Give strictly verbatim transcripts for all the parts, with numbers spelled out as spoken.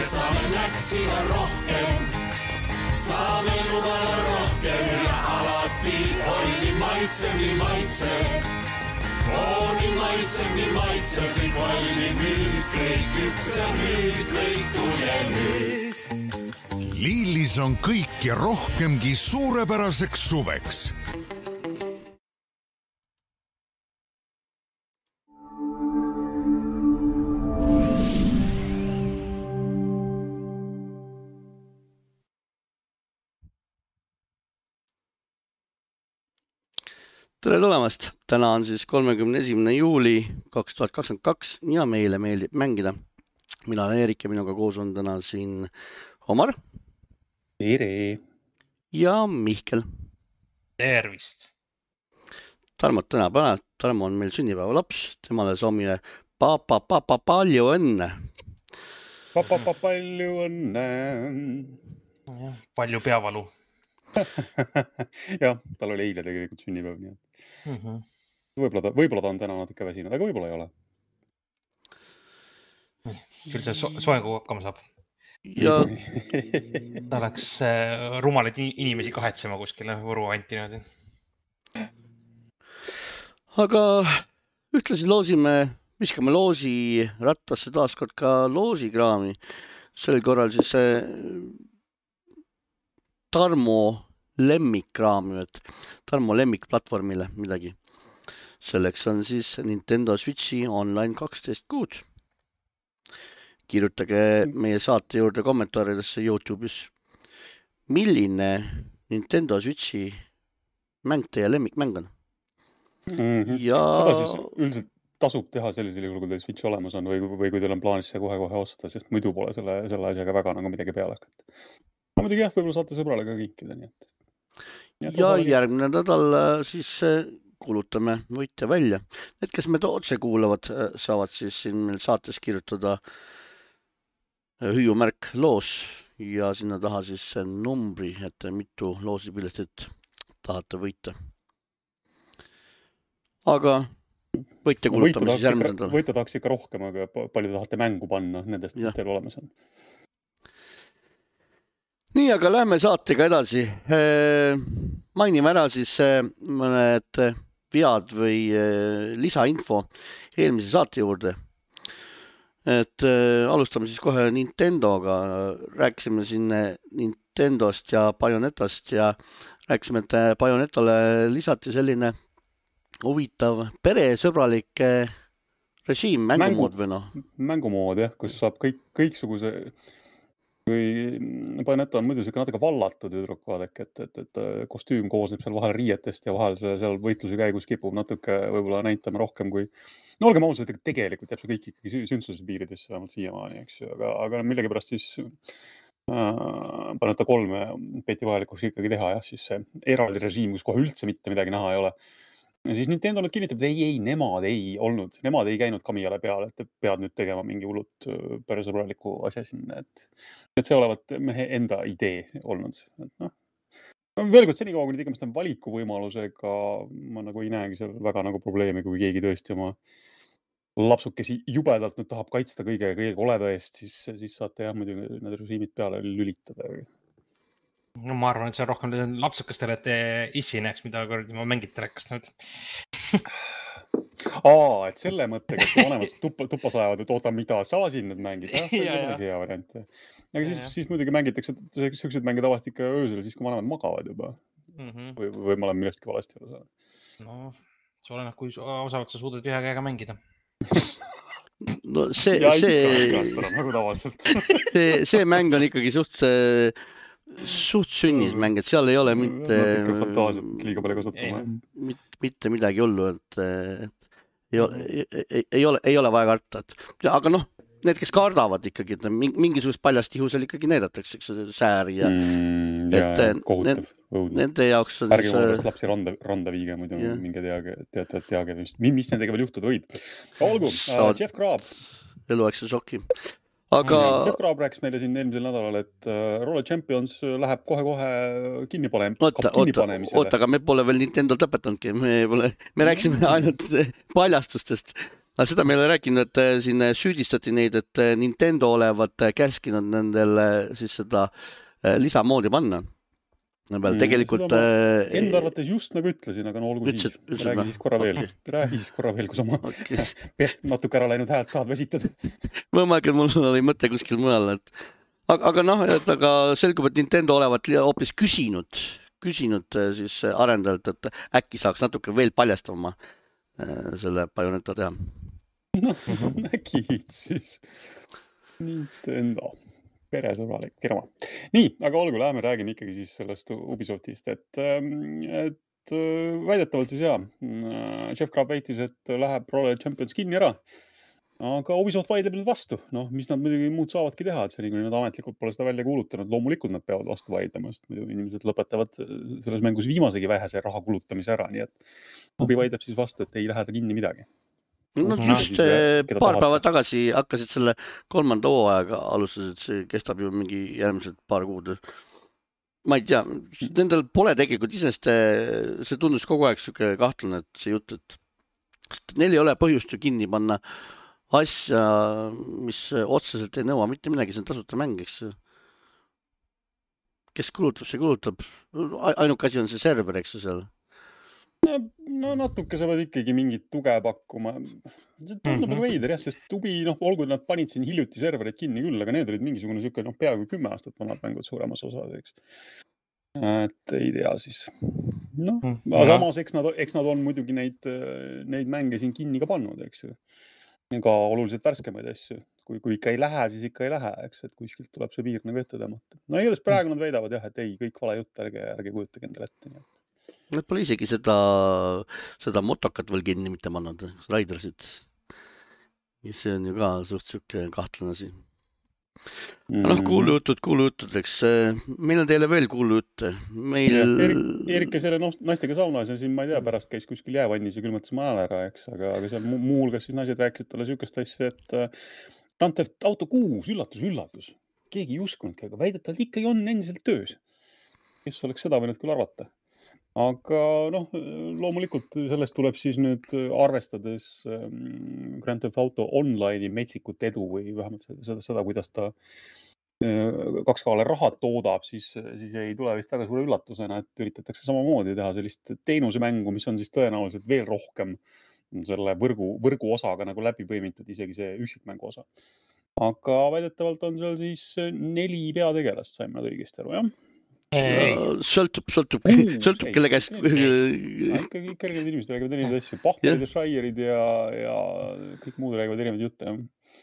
saame näksida rohkem. Saame lubada rohkem ja alati oi nii maitsev, nii maitsev. Oo nii maitsev, nii maitsev, kõik valmib nüüd, kõik küpseb nüüd, kõik tuleb nüüd. Lillis on kõik ja rohkemgi suurepäraseks suveks. Tere tulemast! Täna on siis kolmekümne esimene juuli kaks tuhat kakskümmend kaks ja meile meeldib mängida. Mina olen Eerik ja minuga koos on täna siin Omar. Tere! Ja Mihkel. Tervist! Tarmot täna päev. Tarmo on meil sünnipäeva laps. Temale soomine papa, papa, palju õnne. Papa, papa, palju õnne. Palju peavalu. Jah, tal oli eile tegelikult sünnipäev. Nii. Mm-hmm. Võib-olla ta, võib-olla ta on täna natuke väsinud, aga võib-olla ei ole. Küll see so soengu hakkama saab. Ja ta läks äh, rumalid inimesi kahetsema kuskile Võru anti niimoodi. Aga ühtlasi loosime, viskame loosi rattasse taaskord ka loosikraami. Sel korral siis see Tarmo lemmikkraami, et Tarmo lemmikplatvormile midagi. Selleks on siis Nintendo Switchi Online kaksteist kuud. Kirjutage meie saate juurde kommentaaridesse YouTube'is. Milline Nintendo Switchi mäng teie lemmikmäng on? Mm-hmm. Ja... Seda siis üldiselt tasub teha sellisel juhul, kui teil Switch olemas on või, või kui teil on plaanis see kohe-kohe osta, sest muidu pole selle, selle asjaga väga nagu midagi peale hakata. Ma muidugi jah, võib-olla saate sõbrale ka kinkida. Nii et... Ja, ja järgmine nädal siis kuulutame võitja välja. Need, kes meid otse kuulavad, saavad siis siin meil saates kirjutada hüüumärk loos ja sinna taha siis numbri, et mitu loosipiletit tahate võita. Aga võitja kuulutame siis järgmine nädal. Võitja tahaks ikka rohkem, aga palju tahate mängu panna nendest, mis teil olemas on. Nii, aga lähme saatega edasi. Mainime ära siis mõned vead või lisainfo eelmise saate juurde. Et alustame siis kohe Nintendoga. Rääkisime siin Nintendost ja Bayonetast ja rääkisime, et Bayonetale lisati selline huvitav peresõbralik režiim, mängumood või noh? Mängumood, jah, kus saab kõik, kõiksuguse... Kui Bayonetta on muidu siuke natuke vallatud üdruk, vaadake, et, et, et kostüüm koosneb seal vahel riietest ja vahel seal võitluse käigus kipub natuke võib-olla näitama rohkem kui... No olgem ausad, et tegelikult jääb see kõik ikkagi sündsuse piiridesse vähemalt siiamaani, eks ju, aga, aga millegipärast siis äh, Bayonetta kolme peeti vajalikuks ikkagi teha, jah, siis see eraldi režiim, kus kohe üldse mitte midagi näha ei ole. Ja siis Nintendo nüüd kinnitab, et ei, ei, nemad ei olnud, nemad ei käinud Kamiyale peale, et pead nüüd tegema mingi hullut peresõbraliku asja sinna, et, et see olevat mehe enda idee olnud. Et noh, veel kord senikaua, kui nüüd igamast on valikuvõimalusega, ma nagu ei näegi seal väga nagu probleemi, kui keegi tõesti oma lapsukesi jubedalt nüüd tahab kaitsta kõige, kõige koleda eest, siis, siis saate jah, muidu need režiimid peale lülitada. No ma arvan, et see on rohkem lapsukastele, et issi näeks, mida ma mängite rääkast nüüd. Aa, et selle mõttega, et vanemad tuppa, tuppa sajavad, et oota, mida sa siin nüüd mängid. Ja, see on midagi hea variant. Aga siis, siis muidugi mängitakse, sellised mängid avast ikka öösel, siis kui vanemad magavad juba. Mm-hmm. Või, või ma olen millestki valesti aru saanud. No, see oleneb, kui osavalt sa suudad ühe käega mängida. No see, ja see, ikka nagu tavaliselt. see, see mäng on ikkagi suht, suht sünnismäng, et seal ei ole mitte, fantaasiat liiga palju kasutama. Mitte midagi hullu, et, et ei, ei, ei, ole, ei ole vaja karta. Et, aga noh, need, kes kardavad ikkagi, et mingisugust paljastihusel ikkagi näidatakse sääri ja, mm, ja et kohutav, need, nende jaoks on ärge siis lapsi randa, randa viige, muidu yeah. minge teage, teate, teage, mis, mis nendega veel juhtuda võib. Olgu, uh, Jeff Grubb. Eluaegse šoki. Aga... Jeff Grubb rääkis meile siin eelmisel nädalal, et uh, Roller Champions läheb kohe-kohe kinni panem, oota, kinni oota, panemisele. Oota, aga me pole veel Nintendo lõpetanudki. Me, pole, me rääksime ainult paljastustest. aga seda me ei ole rääkinud, et siin süüdistati neid, et Nintendo olevat käskinud nendele siis seda lisamoodi panna. Peal, tegelikult... Enda arvates just nagu ütlesin, aga no olgu ütlesid, siis. Räägi siis korra veel. Okay. Räägi siis korra veel, kui sa ma okay. natuke ära läinud häält tahad väsitada. Ma mõelgi, et mul oli mõte kuskil mõel. Et... Aga, aga noh, et aga selgub, et Nintendo olevat hoopis küsinud, küsinud siis arendajalt, et äkki saaks natuke veel paljastama selle Bayonetta teha. No, äkki siis Nintendo, peresõbralik firma. Nii, aga olgu, läheme räägime ikkagi siis sellest Ubisoftist, et, et väidetavalt siis jah, Jeff Grubb väitis, et läheb Roller Champions kinni ära, aga Ubisoft vaidleb nüüd vastu. Noh, mis nad muidugi muud saavadki teha, et see nii, kui nad ametlikult pole seda välja kuulutanud, loomulikult nad peavad vastu vaidlema, sest muidu inimesed lõpetavad selles mängus viimasegi vähese raha kulutamise ära, nii et Ubi vaidleb siis vastu, et ei lähe ta kinni midagi. No just paar päeva tagasi hakkasid selle kolmanda hooajaga alustasid, see kestab ju mingi järgmised paar kuud. Ma ei tea, nendel pole tegelikult isest, see tundus kogu aeg siuke kahtlane, et see jutt, et neil ei ole põhjust ju kinni panna asja, mis otseselt ei nõua mitte midagi, see on tasuta mäng, eks. Kes kulutab, see kulutab. Ainuke asi on see server, eks seal. No natuke sa pead ikkagi mingit tuge pakkuma. See tundub nagu veider, jah, sest Ubi, noh, olgu nad panid siin hiljuti serverid kinni küll, aga need olid mingisugune siuke, noh, peaaegu kümme aastat vanad mängud suuremas osas, eks. Et ei tea siis. Noh, aga samas, eks nad, eks nad on muidugi neid, neid mänge siin kinni ka pannud, eks ju. Ka oluliselt värskemaid asju. Kui, kui ikka ei lähe, siis ikka ei lähe, eks, et kuskilt tuleb see piir nagu ette tõmmata. No igatahes praegu nad väidavad jah, et ei, kõik vale jutt, ärge, ärge kujutage endale ette. Nii. Nad pole isegi seda, seda motokat veel kinni mitte pannud, Raidersit. See on ju ka suht siuke kahtlane asi. Mm. Noh, kuulujutud, kuulujutud, eks. Meil on teile veel kuulujutte. Meil... Erik, Erike selle naistega saunas ja siin, ma ei tea, pärast käis kuskil jäävannis ja külmatas maal ära, eks, aga, aga seal muu hulgas siis naised rääkisid talle siukest asja, et Grand Theft Auto kuus, üllatus, üllatus. Keegi ei uskunudki, aga väidetavalt ikkagi on endiselt töös. Kes oleks seda võinud küll arvata? Aga noh, loomulikult sellest tuleb siis nüüd arvestades Grand Theft Auto online'i metsikut edu või vähemalt seda, seda kuidas ta kaks kaale raha toodab, siis, siis ei tule vist väga suure üllatusena, et üritatakse samamoodi teha sellist teenusemängu, mis on siis tõenäoliselt veel rohkem selle võrgu, võrgu osaga nagu läbi põimitud, isegi see üksikmängu osa. Aga väidetavalt on seal siis neli peategelast, saime nad õigesti aru, jah? Sõltub, sõltub, sõltub, kelle käes. Ikkagi kõrged inimesed räägivad erinevaid asju. Pahverid ja Shire'id ja, ja kõik muud räägivad erinevaid jutte.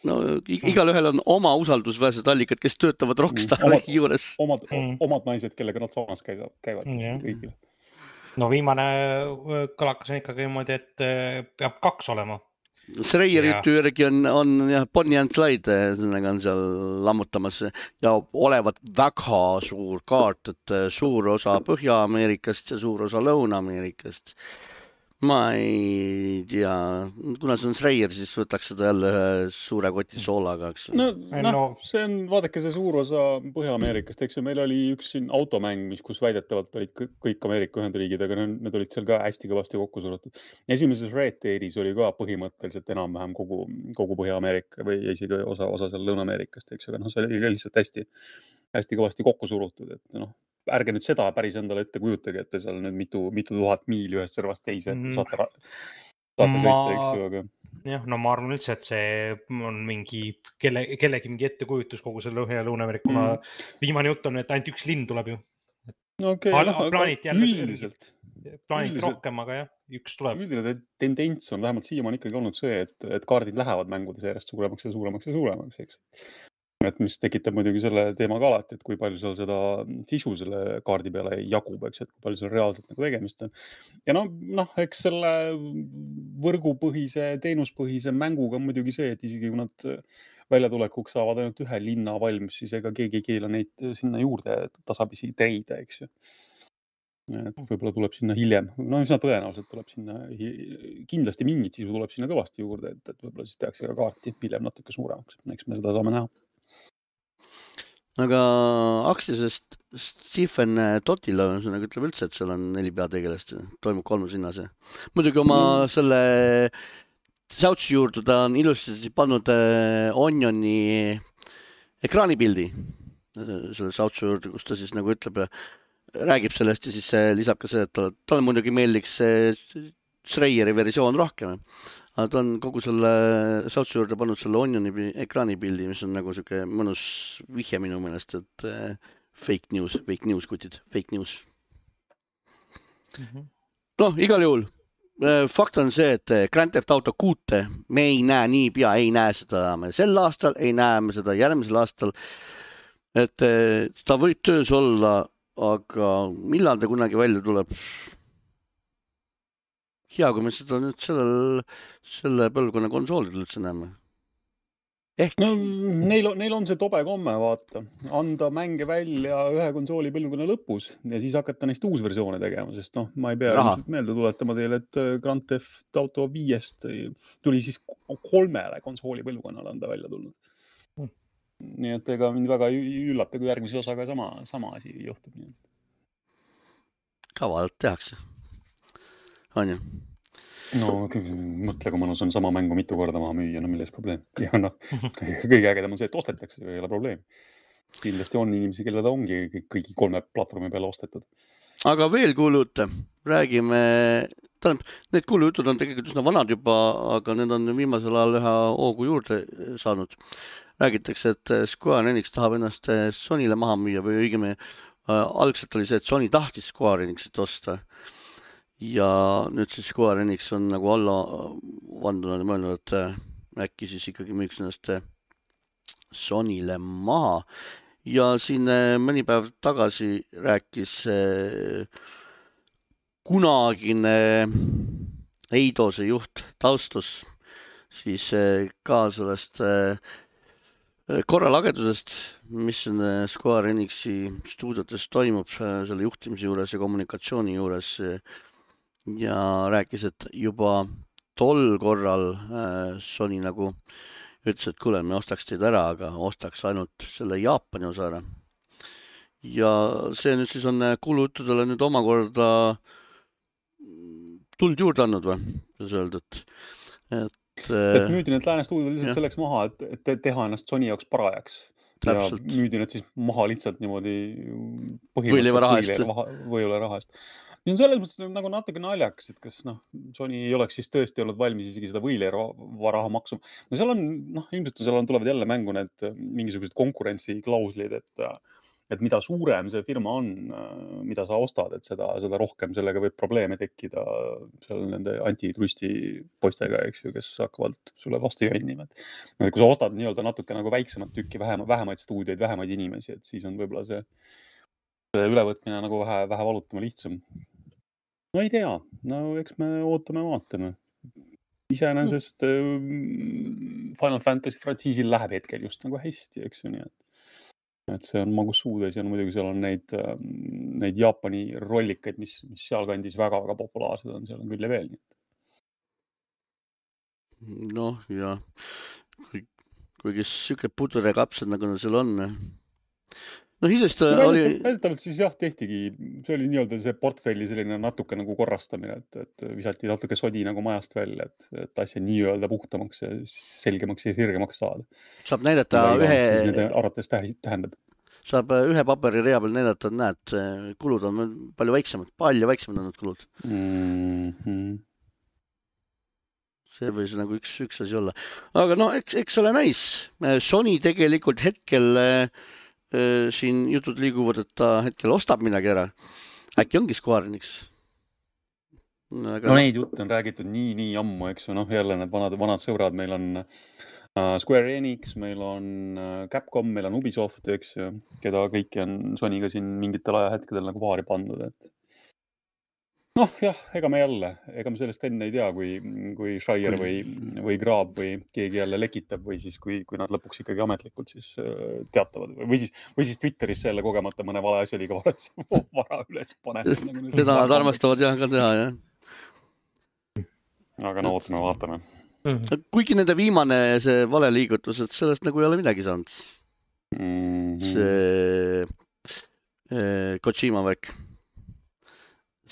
No, igal ühel on oma usaldusväärsed allikad, kes töötavad Rockstari mm, juures. Omad, mm. omad naised, kellega nad saunas käivad, käivad yeah. kõigil. No viimane kõlakas on ikkagi niimoodi, et peab kaks olema. Schreier jutu järgi on, on jah, Bonnie and Clyde on seal lammutamas ja olevat väga suur kaart, et suur osa Põhja-Ameerikast ja suur osa Lõuna-Ameerikast. Ma ei tea, kuna see on Schreier, siis võtaks seda jälle suure koti soolaga. No, no, see on, vaadake see suur osa Põhja-Ameerikast, eks ju, meil oli üks siin automäng, mis, kus väidetavalt olid kõik Ameerika Ühendriigid, aga need olid seal ka hästi kõvasti kokku surutud. Esimeses Red Deadis oli ka põhimõtteliselt enam-vähem kogu, kogu Põhja-Ameerika või isegi osa, osa seal Lõuna-Ameerikast, eks ju, aga no, see oli lihtsalt hästi, hästi kõvasti kokku surutud, et noh, ärge nüüd seda päris endale ette kujutage, et te seal nüüd mitu, mitu tuhat miili ühest servast teise mm. saate, saate ma... sõita, eks ju, aga... Jah, no ma arvan üldse, et see on mingi, kelle, kellegi mingi ettekujutus kogu selle Lõhe- ja Lõuna-Ameerika, kuna mm. viimane jutt on, et ainult üks linn tuleb ju. Okay, Al- no, plaanit jälle üldiselt. Plaanit üldiselt. Rohkem, aga jah, üks tuleb. Üldine tendents on vähemalt siiamaani ikkagi olnud see, et, et kaardid lähevad mängudes järjest suuremaks ja suuremaks ja suuremaks, eks. Et mis tekitab muidugi selle teema ka alati, et kui palju seal seda sisu selle kaardi peale jagub, eks, et kui palju seal reaalselt nagu tegemist on. Ja noh, noh, eks selle võrgupõhise, teenuspõhise mänguga on muidugi see, et isegi kui nad väljatulekuks saavad ainult ühe linna valmis, siis ega keegi ei keela neid sinna juurde tasapisi treida, eks ju. Et võib-olla tuleb sinna hiljem, no üsna tõenäoliselt tuleb sinna, kindlasti mingit sisu tuleb sinna kõvasti juurde, et, et võib-olla siis tehakse ka kaarti hiljem natuke suuremaks, eks me seda saame näha. Aga Aksisest Stephen Totila nagu ütleb üldse, et seal on neli peategelast, toimub kolmas hinnas. Muidugi oma mm. selle Sautsi juurde ta on ilusti pannud Onioni ekraanipildi selle Sautsi juurde, kus ta siis nagu ütleb ja räägib sellest ja siis lisab ka see, et talle, talle muidugi meeldiks Schreieri versioon rohkem. Aga ta on kogu selle Sautsi juurde pannud selle Onioni ekraanipildi, mis on nagu siuke mõnus vihje minu meelest, et fake news, fake news kutid, fake news. Mm-hmm. Noh, igal juhul. Fakt on see, et Grand Theft Auto kuute me ei näe nii pea, ei näe seda me sel aastal, ei näe me seda järgmisel aastal, et ta võib töös olla, aga millal ta kunagi välja tuleb? Hea, kui me seda nüüd sellel, selle põlvkonna konsoolidel üldse näeme. Ehk... No, neil, on, neil on see tobe komme, vaata, anda mänge välja ühe konsooli põlvkonna lõpus ja siis hakata neist uus versioone tegema, sest noh, ma ei pea meelde tuletama teile, et Grand Theft Auto viiest tuli siis kolmele konsooli põlvkonnale anda välja tulnud. Hmm. Nii et ega mind väga üllata, kui järgmise osaga sama, sama asi juhtub. Nii. Kavalalt tehakse. On ju? No mõtle, kui mõnus on sama mängu mitu korda maha müüa, no milles probleem. Ja noh, kõige ägedam on see, et ostetakse, ei ole probleem. Kindlasti on inimesi, kelle ta ongi kõigi kolme platvormi peale ostetud. Aga veel kuulujutte, räägime, tähendab, need kuulujutud on tegelikult üsna vanad juba, aga need on viimasel ajal ühe hoogu juurde saanud. Räägitakse, et Square Enix tahab ennast Sonyle maha müüa või õigemi algselt oli see, et Sony tahtis Square Enixit osta. Ja nüüd siis Square Enix on nagu alla vandunud ja mõelnud, et äkki siis ikkagi müüks ennast Sonyle maha. Ja siin mõni päev tagasi rääkis kunagine Eidose juht Taustus siis ka sellest korralagedusest, mis on Square Enixi stuudiotes toimub selle juhtimise juures ja kommunikatsiooni juures. Ja rääkis, et juba tol korral Sony nagu ütles, et kuule, me ostaks teid ära, aga ostaks ainult selle Jaapani osa ära. Ja see nüüd siis on kuulujuttudele nüüd omakorda tuld juurde andnud või? Öeldud, et, et müüdi need lääne stuudiod lihtsalt selleks maha, et, et teha ennast Sony jaoks parajaks. Täpselt. Ja müüdi need siis maha lihtsalt niimoodi võileiva raha eest. Võileiva raha eest. Ja on selles mõttes nagu natuke naljakas, et kas noh, Sony ei oleks siis tõesti olnud valmis isegi seda võileiva raha maksuma. No seal on, noh, ilmselt seal on, tulevad jälle mängu need mingisugused konkurentsiklauslid, et, et mida suurem see firma on, mida sa ostad, et seda, seda rohkem sellega võib probleeme tekkida seal nende antituristi poistega, eks ju, kes hakkavad sulle vastu jonnima. Et kui sa ostad nii-öelda natuke nagu väiksemat tükki, vähem, vähemaid stuudioid, vähemaid inimesi, et siis on võib-olla see, see ülevõtmine nagu vähe, vähe valutama lihtsam. No ei tea, no eks me ootame vaatame. Iseenesest Final Fantasy frantsiisil läheb hetkel just nagu hästi, eks ju nii, et, et see on magus suudes ja no, muidugi seal on neid, neid Jaapani rollikaid, mis, mis seal kandis väga-väga populaarsed on, seal on küll ja veel nii. Noh, ja kui, kuigi süke puder ja kapsad nagu seal on. No isest oli... Väidetavalt siis jah, tehtigi, see oli nii-öelda see portfelli selline natuke nagu korrastamine, et, et visati natuke sodi nagu majast välja, et, et asja nii-öelda puhtamaks ja selgemaks ja sirgemaks saada. Saab näidata ühe... Arvates tähendab. Saab ühe paperi rea peal näidata, et näed, kulud on palju väiksemad, palju väiksemad on need kulud. Mm-hmm. See võis nagu üks, üks asi olla. Aga no, eks, eks ole näis. Sony tegelikult hetkel... siin jutud liiguvad, et ta hetkel ostab midagi ära. Äkki ongi Square Enix? Aga... No neid jutte on räägitud nii, nii ammu, eks ju, noh, jälle need vanad, vanad sõbrad, meil on uh, Square Enix, meil on uh, Capcom, meil on Ubisoft, eks ju, keda kõiki on Sonyga siin mingitel ajahetkedel nagu paari pandud, et noh, jah, ega me jälle, ega me sellest enne ei tea, kui, kui Schreier või, või Graab või keegi jälle lekitab või siis, kui, kui nad lõpuks ikkagi ametlikult siis teatavad või siis, või siis Twitteris jälle kogemata mõne vale asja liiga vara üles paneb. Seda nad armastavad jah ka teha, jah. Aga no ootame, vaatame. Kuigi nende viimane see vale liigutus, et sellest nagu ei ole midagi saanud. Mm-hmm. See eh, Kojima värk.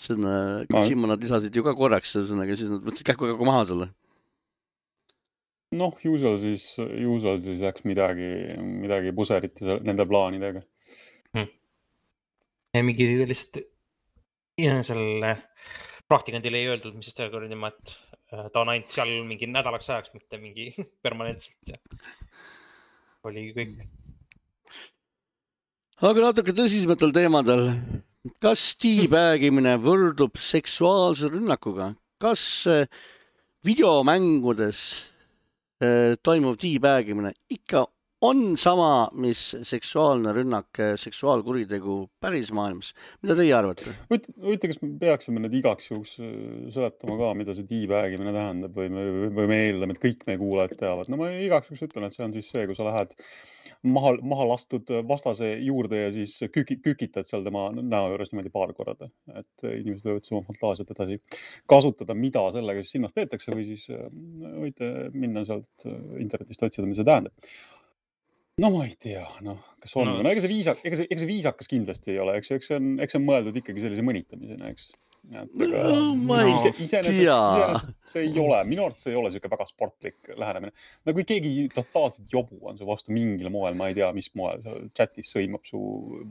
See on, Kojima nad lisasid ju ka korraks, aga siis nad võtsid kähku-kähku maha selle. Noh, usual siis, usual siis läks midagi, midagi puseriti nende plaanidega. Hmm. Ja mingi lihtsalt selle praktikandile ei öeldud, mis sest oli tema, et ta on ainult seal mingi nädalaks ajaks, mitte mingi permanentselt. Ja oli kõik. Aga natuke tõsismetel teemadel. Kas teabaggimine võrdub seksuaalse rünnakuga? Kas videomängudes toimuv teabaggimine ikka on sama, mis seksuaalne rünnak, seksuaalkuritegu päris maailmas. Mida teie arvate? Võite, kas me peaksime need igaks juhuks seletama ka, mida see teabaggimine tähendab või me, või me eeldame, et kõik meie kuulajad teavad. No ma igaks juhuks ütlen, et see on siis see, kui sa lähed maha, maha lastud vastase juurde ja siis küki, kükitad seal tema näo juures niimoodi paar korda. Et inimesed võivad oma fantaasiat edasi kasutada, mida sellega siis silmas peetakse või siis võite minna sealt internetist otsida, mis see tähendab. No ma ei tea, noh, kas on, no, no ega see viisakas, ega see, ega see viisakas kindlasti ei ole, eks, eks see on, eks see on mõeldud ikkagi sellise mõnitamisena, eks. Et, aga, no, ma ei ise, tea. Iseenesest see ei ole, minu arvates see ei ole selline väga sportlik lähenemine. No kui keegi totaalselt jobu on su vastu mingil moel, ma ei tea, mis moel, chatis sõimab su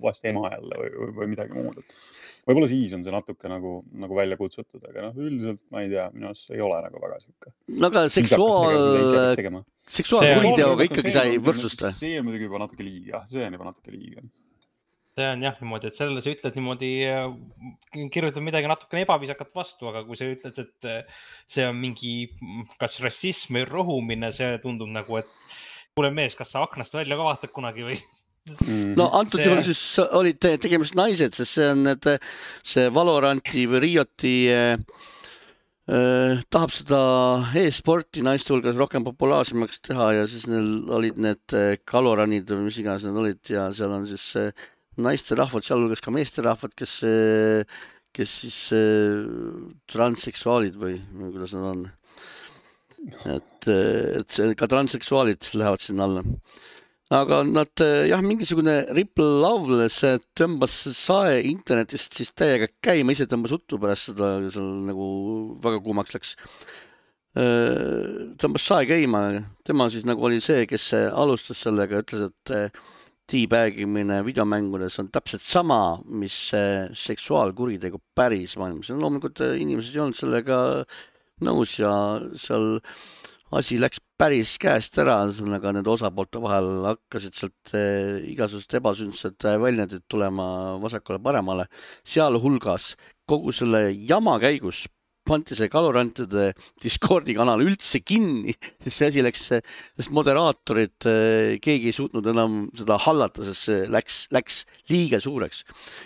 vast ema jälle või, või, või midagi muud. Võib-olla siis on see natuke nagu, nagu välja kutsutud, aga noh, üldiselt ma ei tea, minu arvates ei ole nagu väga siuke. No aga seksuaal... seksuaalkuriteoga ikkagi sai võrdsusta. See on muidugi juba natuke liiga, see on juba natuke liiga. See on jah niimoodi, et sellele sa ütled niimoodi, kirjutad midagi natukene ebaviisakat vastu, aga kui sa ütled, et see on mingi kas rassism või rohumine, see tundub nagu, et kuule mees, kas sa aknast välja ka vaatad kunagi või? No antud juhul siis olid tegemist naised, sest see on need, see Valoranti või Rioti äh, tahab seda e-sporti naiste hulgas rohkem populaarsemaks teha ja siis neil olid need kaloranid või mis iganes need olid ja seal on siis naiste rahvad, sealhulgas ka meeste rahvad, kes, kes siis transseksuaalid või kuidas nad on. Et, et ka transseksuaalid lähevad sinna alla. Aga nad, jah, mingisugune Ripple Loveless tõmbas sae internetist siis täiega käima, ise tõmbas uttu pärast seda, seal nagu väga kuumaks läks. Tõmbas sae käima, tema siis nagu oli see, kes alustas sellega, ütles, et teabaggimine videomängudes on täpselt sama, mis seksuaalkuritegu päris maailmas. Loomulikult inimesed ei olnud sellega nõus ja seal asi läks päris käest ära, aga need osapoolte vahel hakkasid sealt igasugused ebasündsed väljendid tulema vasakule paremale. Sealhulgas kogu selle jama käigus panti see Kalorantide Discordi kanal üldse kinni, sest see asi läks, sest moderaatorid, keegi ei suutnud enam seda hallata, sest see läks, läks liiga suureks.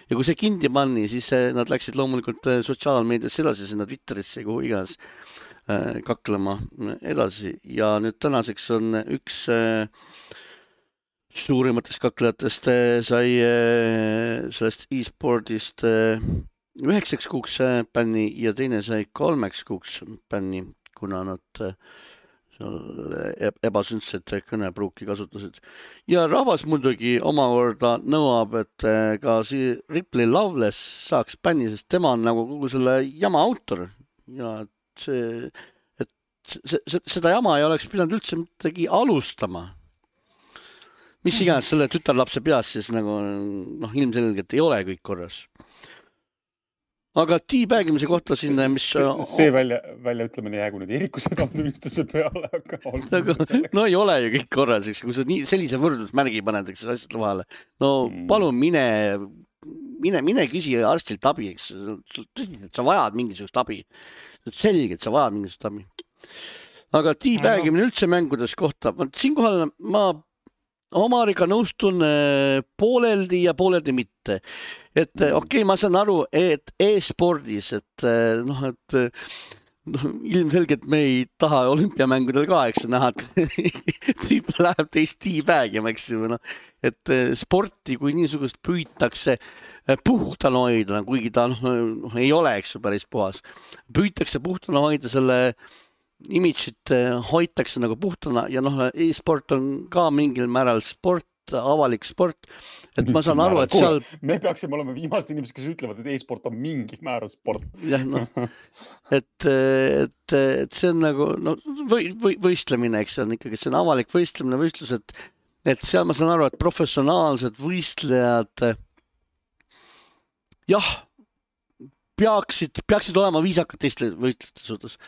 Ja kui see kinni panni, siis nad läksid loomulikult sotsiaalmeediasse edasi, sinna Twitterisse, kuhu iganes kaklema edasi. Ja nüüd tänaseks on üks suurimatest kaklejatest sai sellest e-sportist üheksaks kuuks bänni ja teine sai kolmeks kuuks bänni, kuna nad ebasündset kõnepruuki kasutasid. Ja rahvas muidugi omakorda nõuab, et ka see Ripley Loveless saaks bänni, sest tema on nagu kogu selle jama autor ja see, et see, see, seda jama ei oleks pidanud üldse midagi alustama. Mis iganes selle tütarlapse peas siis nagu noh, ilmselgelt ei ole kõik korras. Aga teabaggimise kohta siin, mis... See, see välja, välja ütlemine jäägu nüüd Eeriku südamtumistuse peale, aga... aga no ei ole ju kõik korras, eks, kui sa nii, sellise võrdusmärgi paned, eks asjad vahele. No palun mine, mine, mine küsi arstilt abi, eks. Sa vajad mingisugust abi. Selgelt sa vajad mingisugust abi. Aga teabaggimine üldse mängudes kohta. Siinkohal ma Omariga nõustun pooleldi ja pooleldi mitte. Et okei, okay, ma saan aru, et e-spordis, et noh, et noh, ilmselgelt me ei taha olümpiamängudel ka, eks näha, et tüüp läheb teist teabaggima, eks ju, noh. Et sporti, kui niisugust püütakse puhtana hoida, kuigi ta noh, ei ole, eks ju, päris puhas. Püütakse puhtana hoida selle imidžit hoitakse nagu puhtana ja noh, e-sport on ka mingil määral sport, avalik sport, et ma saan aru, et seal... Me peaksime olema viimased inimesed, kes ütlevad, et e-sport on mingi määral sport. Jah, no, et, et, et see on nagu no, või, või, võistlemine, eks see on ikkagi, see on avalik võistlemine, võistlus, et, et seal ma saan aru, et professionaalsed võistlejad jah, peaksid, peaksid olema viisakad teiste võistlejate suhtes.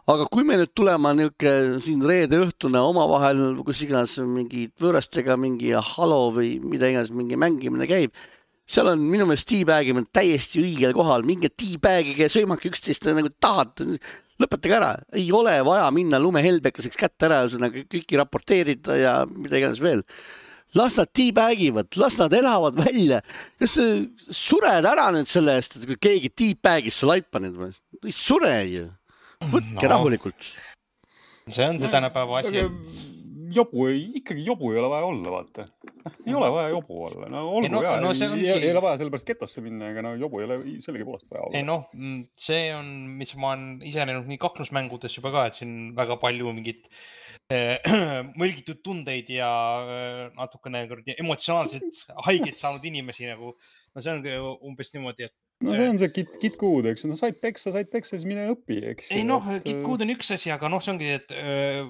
Aga kui me nüüd tulema niuke siin reede õhtune omavahel, kus iganes mingi võõrastega mingi halo või mida iganes mingi mängimine käib, seal on minu meelest teabagimine täiesti õigel kohal, mingi teabagige ja sõimake üksteist nagu tahad, lõpetage ära, ei ole vaja minna lumehelbekaseks kätte ära ja kõiki raporteerida ja mida iganes veel. Las nad teabagivad, las nad elavad välja. Kas sured ära nüüd selle eest, et kui keegi teabagis su laipa nüüd või? Ei sure ju. Võtke no. rahulikult. See on see tänapäeva asi. Jobu, ikkagi jobu ei ole vaja olla, vaata. Ei ole vaja jobu olla. No, olgu, no, jah, no, ei, ongi... ei ole vaja sellepärast ketosse minna, aga no, jobu ei ole sellegi poolest vaja olla. Ei, no, see on, mis ma olen ise näinud nii kaklusmängudes juba ka, et siin väga palju mingit eh, mõlgitud tundeid ja eh, natukene emotsionaalselt haiget saanud inimesi nagu. No see on umbes niimoodi, et no see on see kit, kitkuud, eks. No said peksa, said peksa, siis mine õpi, eks. Ei noh, kitkuud on üks asi, aga noh, see ongi, et öö,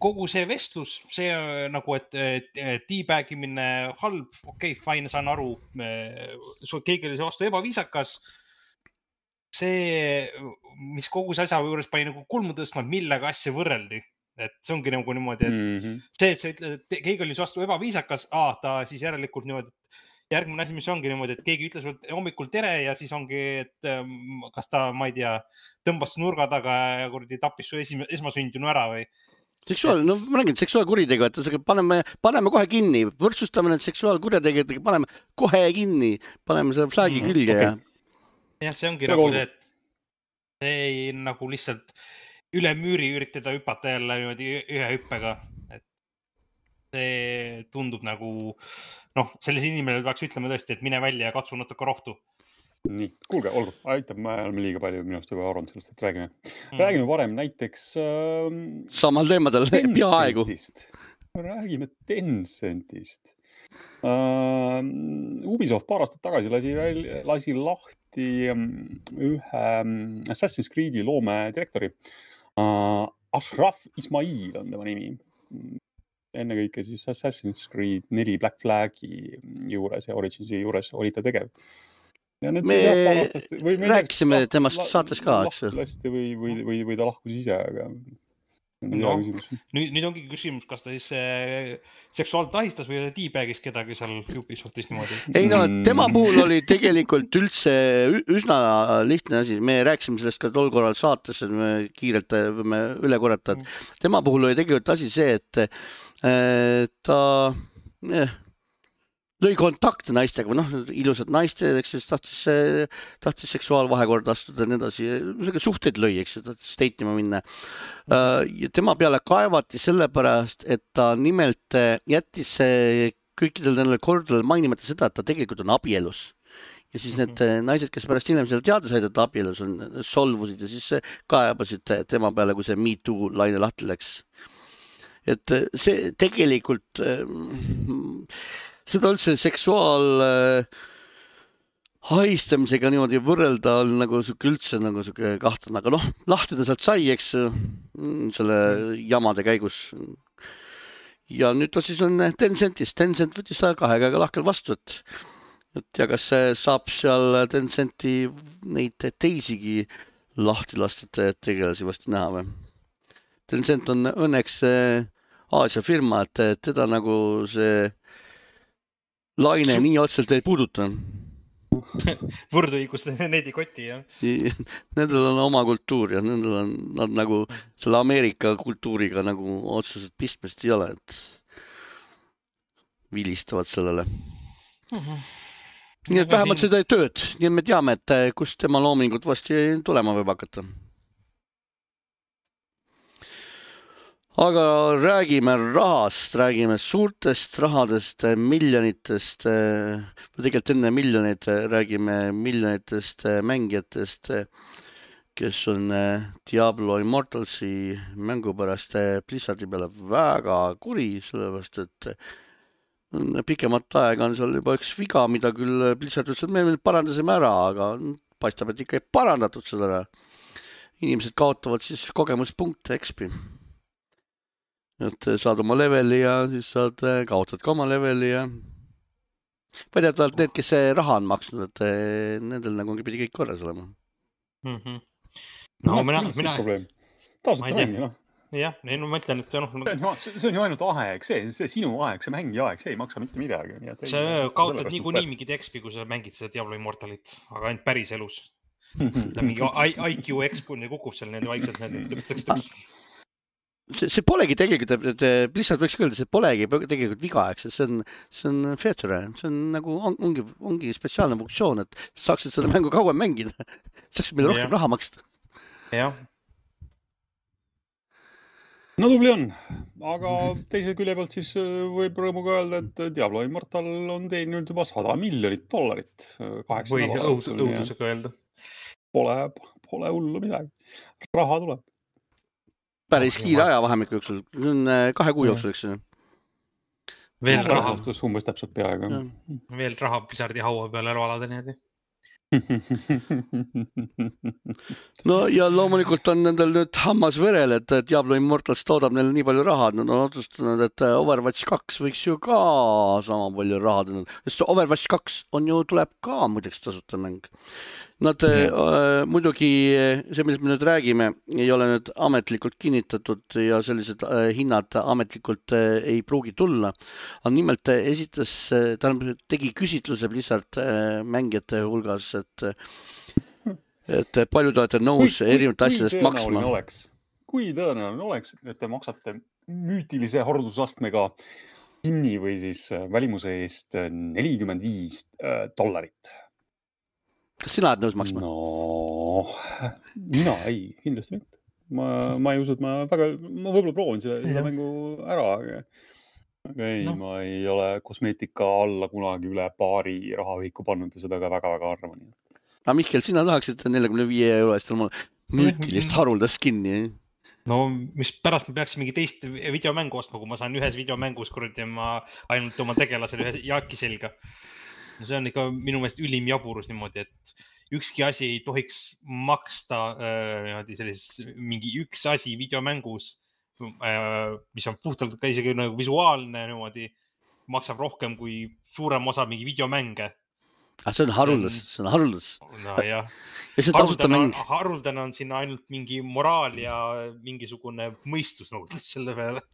kogu see vestlus, see nagu, et teabagimine halb, okei, okay, fine, saan aru, keegi oli see vastu ebaviisakas. See, mis kogu see asja juures pani nagu kulmu tõstma, millega asja võrreldi. Et see ongi nagu niimoodi, et mm-hmm. see, et sa ütled, et keegi oli vastu ebaviisakas, aa, ta siis järelikult niimoodi, järgmine asi, mis ongi niimoodi, et keegi ütles hommikul tere ja siis ongi, et kas ta, ma ei tea, tõmbas nurga taga ja kurdi tappis su esmasündinu ära või? Seksuaal, no ma räägin, seksuaalkuritegu, et paneme, paneme kohe kinni, võrdsustame need seksuaalkurjategijatega, paneme kohe kinni, paneme selle flagi külge mm, okay. ja... jah, see ongi nagu see, et see ei nagu lihtsalt üle müüri üritada hüpata jälle niimoodi ühe hüppega, et see tundub nagu, noh, sellise inimene peaks ütlema tõesti, et mine välja ja katsu natuke rohtu. Nii, kuulge, olgu, aitab, me oleme liiga palju minust juba arvanud sellest, et räägime. Mm. Räägime varem näiteks... Äh, Samal teemadel, peaaegu. Räägime Tencentist. Uh, Ubisoft paar aastat tagasi lasi, lasi lahti ühe Assassin's Creed'i loome direktori. Uh, Ashraf Ismail on tema nimi. Enne kõike siis Assassin's Creed neli Black Flagi juures ja Originsi juures oli ta tegev. Ja me aastast, või rääkisime laht, temast saates ka, eks? Või, või, või, või ta lahkus ise, aga... No, nüüd, nüüd ongi küsimus, kas ta siis äh, seksuaalselt ahistas või teabagis kedagi seal Ubisoftis niimoodi? Ei no, tema puhul oli tegelikult üldse üsna lihtne asi. Me rääkisime sellest ka tol korral saates, et me kiirelt võime üle korrata. Tema puhul oli tegelikult asi see, et äh, ta... Eh, lõi kontakte naistega, noh, ilusad naiste, eks siis tahtis, tahtis seksuaalvahekorda astuda ja nii edasi. Suhteid lõi, eks, tahtis deitima minna. Ja tema peale kaevati sellepärast, et ta nimelt jättis kõikidel nendel kordadel mainimata seda, et ta tegelikult on abielus. Ja siis need naised, kes pärast hiljem selle teada said, et abielus on, solvusid ja siis kaebasid tema peale, kui see Me Too laine lahti läks. Et see tegelikult... Seda üldse seksuaal äh, haistamisega niimoodi võrrelda on nagu suke üldse nagu suke kahtlane, aga noh, lahti ta sealt sai, eks, selle jamade käigus. Ja nüüd ta siis on Tencentist. Tencent võttis ta kahe käega lahkel vastu, et, et ja kas saab seal Tencenti neid teisigi lahti lastud tegelasi vastu näha või? Tencent on õnneks Aasia firma, et teda nagu see laine Su... nii otselt ei puuduta. Võrdõigust need ei koti, jah? Nendel on oma kultuur ja nendel on nad nagu selle Ameerika kultuuriga nagu otseselt pistmest ei ole, et vilistavad sellele. Uh-huh. Nii et vähemalt seda ei tööd. Nii me teame, et kust tema loomingut vasti tulema võib hakata. Aga räägime rahast, räägime suurtest rahadest, miljonitest, või tegelikult enne miljonit räägime miljonitest mängijatest, kes on Diablo Immortalsi mängu pärast Blizzardi peale väga kuri, sellepärast, et pikemat aega on seal juba üks viga, mida küll Blizzard ütles, et me parandasime ära, aga paistab, et ikka ei parandatud seda. Inimesed kaotavad siis kogemuspunkte X P. Et saad oma leveli ja siis saad kaotad ka oma leveli ja väidetavalt need, kes raha on maksnud, et nendel nagu pidi kõik korras olema. Mm-hmm. No, no mina, mina... probleem. Taasut mängi, noh. Jah, ei, no ma ütlen, et no, see, see on ju ainult aeg, see, see sinu aeg, see mängi aeg, see ei maksa mitte midagi. Nii et sa ei, kaotad nii kui nii mingid X P, kui sa mängid seda Diablo Immortalit, aga ainult päris elus. mingi I Q X-punni kukub seal need vaikselt. Need... See, see polegi tegelikult, et Blizzard võiks öelda, see polegi tegelikult viga, eks, see on, see on feature, see on nagu, ongi, ongi spetsiaalne funktsioon, et saaksid seda mängu kauem mängida, saaksid meile rohkem ja. raha maksta. Jah. No tubli on, aga teise külje pealt siis võib rõõmuga öelda, et Diablo Immortal on teeninud juba sada miljonit dollarit. Või õudusega öelda. Pole, pole hullu midagi. Raha tuleb. Päris kiire ajavahemiku jooksul, see on kahe kuu jooksul, eks. Veel no, raha. Umbes täpselt peaaegu. Veel raha Blizzardi haua peale elualade nii. No ja loomulikult on nendel nüüd hammas verel, et Diablo Immortals toodab neile nii palju raha, nad on otsustanud, et Overwatch kaks võiks ju ka sama palju raha teha. Sest Overwatch kaks on ju, tuleb ka muideks tasuta mäng. Nad äh, muidugi, see millest me nüüd räägime, ei ole nüüd ametlikult kinnitatud ja sellised äh, hinnad ametlikult äh, ei pruugi tulla. Aga nimelt esitas, ta tegi küsitluse Blizzard äh, mängijate hulgas, et, et palju te olete nõus erinevate asjadest maksma. Oleks, kui tõenäoline oleks, et te maksate müütilise hordusastmega kinni või siis välimuse eest nelikümmend viis dollarit. Kas sina oled nõus maksma? No, mina ei, kindlasti mitte. Ma, ma ei usu, et ma väga, ma võib-olla proovin selle, selle mängu ära, aga, aga ei, no. Ma ei ole kosmeetika alla kunagi üle paari rahaviku pannud ja seda ka väga-väga arvan. Aga Mihkel, sina tahaksid neljakümne viie euro eest oma müütilist haruldast kinni? No, mis pärast ma peaksin mingi teist videomängu ostma, kui ma saan ühes videomängus kuradi ja ma ainult oma tegelasel ühe jaaki selga. No see on ikka minu meelest ülim jaburus niimoodi, et ükski asi ei tohiks maksta äh, sellises, mingi üks asi videomängus, äh, mis on puhtalt ka isegi nagu visuaalne niimoodi, maksab rohkem kui suurem osa mingi videomänge. Ah, see on haruldas, see on haruldas. No jah. Ja see tasuta mäng. Haruldane on siin ainult mingi moraal ja mingisugune mõistus nagu selle peale.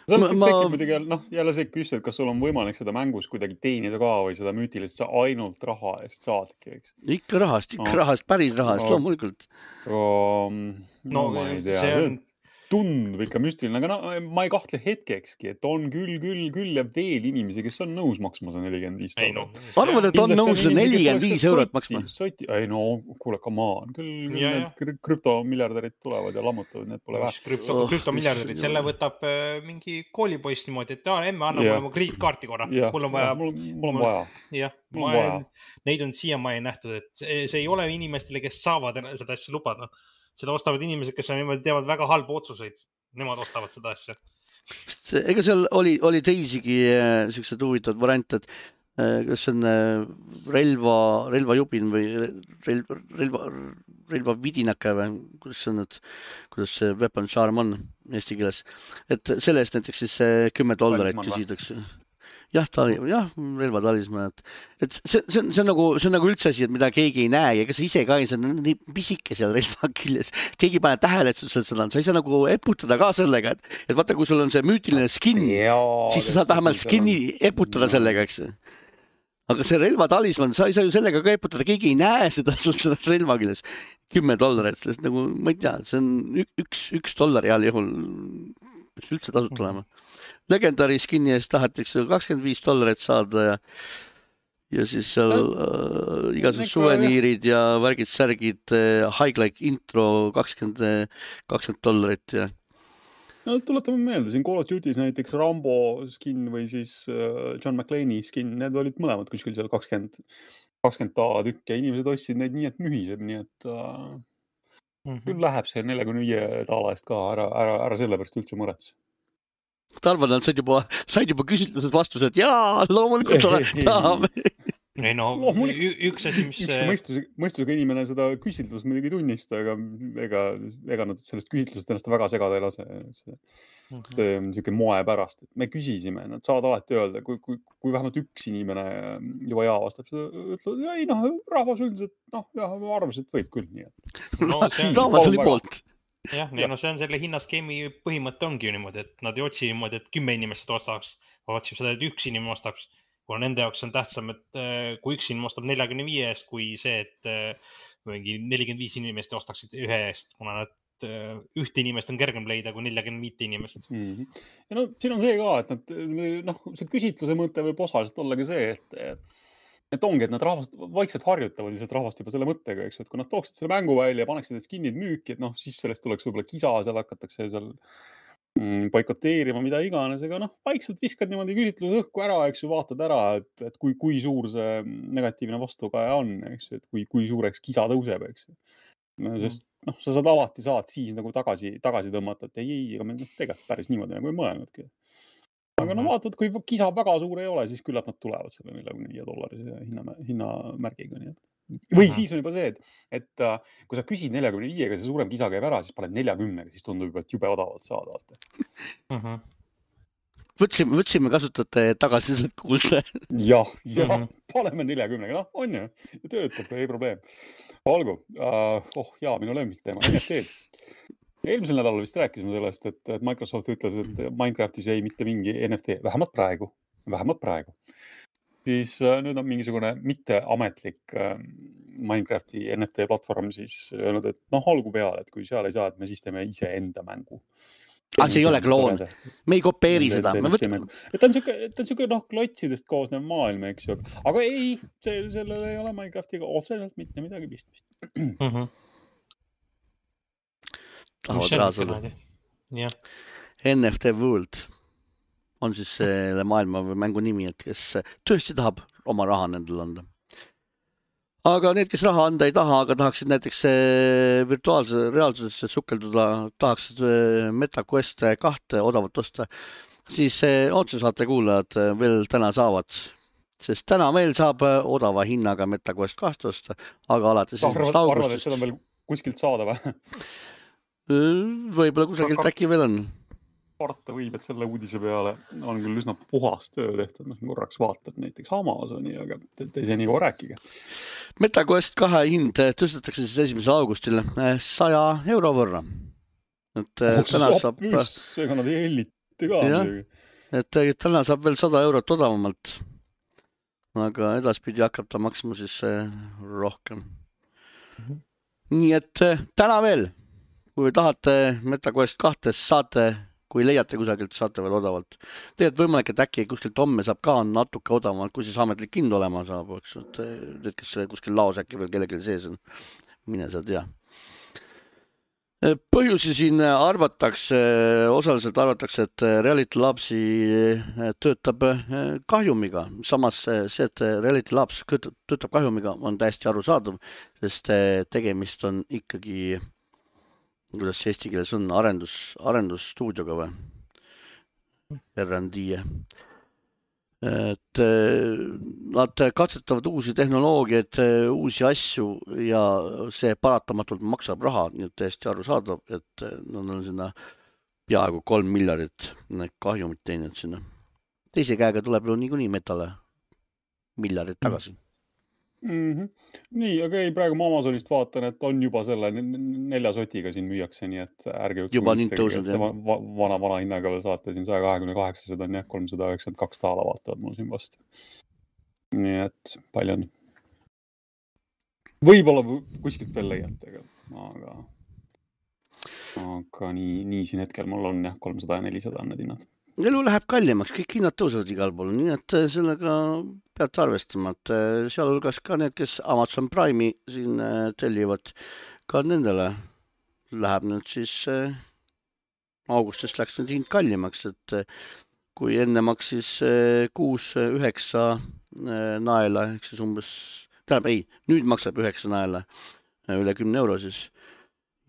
See on ma... tekib noh, jälle see küsida, et kas sul on võimalik seda mängus kuidagi teenida ka või seda müütilist sa ainult raha eest saadki, eks? Ikka rahast, ikka no. rahast, päris rahast, no. loomulikult. Um, no, no ma ei tea. See on... tundub ikka müstiline, aga no, ma ei kahtle hetkekski, et on küll, küll, küll ja veel inimesi, kes on nõus maksma see nelikümmend viis dollarit. No, arvad, et on nõus nelikümmend viis eurot maksma? Soti, ei no, kuule, come on. Küll, küll ja, need ja. krüptomiljardärid tulevad ja lammutavad, need pole vähe. Krüpto, oh, krüptomiljardärid, selle võtab äh, mingi koolipoiss niimoodi, et emme annab yeah. mulle krediitkaarti korra. Yeah. Mul on vaja. Mul, mul on vaja. Jah, ma olen, neid on siiamaani nähtud, et see, see ei ole inimestele, kes saavad seda asja lubada. Seda ostavad inimesed, kes on niimoodi teevad väga halba otsuseid. Nemad ostavad seda asja. Ega seal oli, oli teisigi äh, sellised huvitavad variante, et äh, kas on äh, relva, relvajubin või relva, relva, relva vidinake või kuidas see on, et kuidas see weapon charm on eesti keeles. Et selle eest näiteks siis kümme dollarit küsitakse. Jah, tali, jah, relvatalisma, et, et see, see, on, see, on nagu, see on nagu üldse asi, et mida keegi ei näe ja ega sa ise ka ei saa nii pisike seal relva küljes. Keegi pane tähele, et sul seda on, sa ei saa nagu eputada ka sellega, et, et vaata, kui sul on see müütiline skin, Jaa, siis sa saad vähemalt skinni eputada sellega, eks. Aga see relvatalisman, sa ei saa ju sellega ka eputada, keegi ei näe seda sul seda relva küljes. Kümme dollarit, sest nagu, ma ei tea, see on üks, üks dollari heal juhul, mis üldse tasut olema. Legendary skinni eest tahetakse kakskümmend viis dollarit saada ja, ja siis seal äh, igasugused suveniirid ja värgid, särgid, äh, High-like intro kakskümmend, kakskümmend dollarit ja. No tuletame meelde, siin Call of Duty's näiteks Rambo skin või siis äh, John McClane'i skin, need olid mõlemad kuskil seal kakskümmend, kakskümmend tükk ja inimesed ostsid neid nii, et mühiseb, nii et äh, mm-hmm. küll läheb see neljakümne viie daala eest ka, ära, ära, ära selle pärast üldse mõrets. Tarvan, nad said juba, said juba küsitlused vastused, jaa, loomulikult tahame. Ei no, üks asi, mis... Ükski mõistusega, mõistusega inimene seda küsitlust muidugi tunnista, aga ega, ega nad sellest küsitlusest ennast väga segada ei lase. See, see on niisugune moe pärast. Et me küsisime, nad saavad alati öelda, kui, kui, kui vähemalt üks inimene juba jaa vastab, ütlevad, ei noh, rahvas üldiselt, noh, jah, arvasid, et võib küll nii. No, see on... rahvas oli poolt. Jah, ja. No see on selle hinnaskeemi põhimõte ongi ju niimoodi, et nad ei otsi niimoodi, et kümme inimest ostaks, otsib seda, et üks inimene ostaks. Kuna nende jaoks on tähtsam, et kui üks inimene ostab neljakümne viie eest, kui see, et mingi nelikümmend viis inimest ostaksid ühe eest, kuna nad ühte inimest on kergem leida kui neljakümne viis inimest. Mm-hmm. Ja no siin on see ka, et nad, noh, see küsitluse mõte võib osaliselt olla ka see, et, et ongi, et nad rahvast, vaikselt harjutavad lihtsalt rahvast juba selle mõttega, eks, et kui nad tooksid selle mängu välja ja paneksid need skinnid müüki, et noh, siis sellest tuleks võib-olla kisa, seal hakatakse seal boikoteerima, mida iganes, aga noh, vaikselt viskad niimoodi küsitluse õhku ära, eks ju, vaatad ära, et, et kui, kui suur see negatiivne vastukaja on, eks ju, et kui, kui suureks kisa tõuseb, eks ju. Sest noh, sa saad alati saad siis nagu tagasi, tagasi tõmmata, et ei, ei, aga me noh, tegelikult päris niimoodi nagu ei mõelnudki. Aga no vaatad, kui kisa väga suur ei ole, siis küllap nad tulevad selle neljakümne viie dollarise hinna, hinnamärgiga. Nii et. Või uh-huh. Siis on juba see, et, et kui sa küsid neljakümne viiega, see suurem kisa käib ära, siis paned neljakümnega, siis tundub juba, et jube odavalt saada. Uh-huh. Võtsime, võtsime kasutate tagasi kuulda. Jah, jah, uh-huh. Paneme neljakümnega, noh, on ju, töötab, ei probleem. Olgu, uh, oh jaa, minu lemmik teema, N F T-d. Eelmisel nädalal vist rääkisime sellest, et Microsoft ütles, et Minecraftis ei mitte mingi N F T, vähemalt praegu, vähemalt praegu. Siis nüüd on mingisugune mitteametlik Minecrafti N F T platvorm siis öelnud, et noh, olgu peale, et kui seal ei saa, et me siis teeme ise enda mängu. Ah, see ei ole kloon. Me ei kopeeri seda. Me võtame... Et ta on niisugune noh, klotsidest koosnev maailm, eks ju. Aga ei, see, sellel ei ole Minecraftiga otseselt mitte midagi pistmist. Mhm. Tahavad raasada. Ja. N F T World on siis selle maailma või mängu nimi, et kes tõesti tahab oma raha nendel anda. Aga need, kes raha anda ei taha, aga tahaksid näiteks virtuaalse reaalsusesse sukelduda, tahaksid MetaQuest kahte odavalt osta, siis otse saate kuulajad veel täna saavad. Sest täna veel saab odava hinnaga MetaQuest kahte osta, aga alates esimesest augustist. Arvad, et seda on veel kuskilt saada või? Võib-olla kusagilt äkki veel on. Parta võib, et selle uudise peale on küll üsna puhas töö tehtud. Noh, korraks vaatad näiteks Amazoni, aga te ei saa nii kohe rääkige. MetaQuest kahe hind tõstetakse siis esimesel augustil saja euro võrra. Et oh, täna saab... Püss, ega nad ei helliti ka. Ja, et täna saab veel sada eurot odavamalt. Aga edaspidi hakkab ta maksma siis rohkem. Mm-hmm. Nii et täna veel, kui tahate MetaQuest kahtes saate, kui leiate kusagilt, saate veel odavalt. Tegelikult võimalik, et äkki kuskilt homme saab ka natuke odavamalt, kui siis ametlik hind olema saab. Et need, kes kuskil laos äkki veel kellelgi sees on, mine sa tea. Põhjusi siin arvatakse, osaliselt arvatakse, et Reality Labsi töötab kahjumiga. Samas see, et Reality Labs töötab kahjumiga, on täiesti arusaadav, sest tegemist on ikkagi... kuidas see eesti keeles on, arendus, arendusstuudioga või? R and D. Et nad katsetavad uusi tehnoloogiaid, uusi asju ja see paratamatult maksab raha, nii et täiesti arusaadav, et nad on sinna peaaegu kolm miljardit kahjumit teinud sinna. Teise käega tuleb ju niikuinii metale miljardit tagasi. Mm-hmm. Nii, aga ei, praegu ma Amazonist vaatan, et on juba selle nelja sotiga siin müüakse, nii et ärge juba nii tõusnud, jah. Vana, vana hinnaga veel saate siin sada kakskümmend kaheksa, seda on jah, kolmsada üheksakümmend kaks taala vaatavad mul siin vastu. Nii et palju on. Võib-olla kuskilt veel leiate, aga, aga nii, nii siin hetkel mul on jah, kolmsada ja nelisada on need hinnad. Elu läheb kallimaks, kõik hinnad tõusevad igal pool, nii et sellega peate arvestama, et sealhulgas ka need, kes Amazon Prime'i siin tellivad, ka nendele läheb nüüd siis augustist läks nüüd hind kallimaks, et kui enne maksis kuus üheksa naela, ehk siis umbes, tähendab ei, nüüd maksab üheksa naela üle kümne euro siis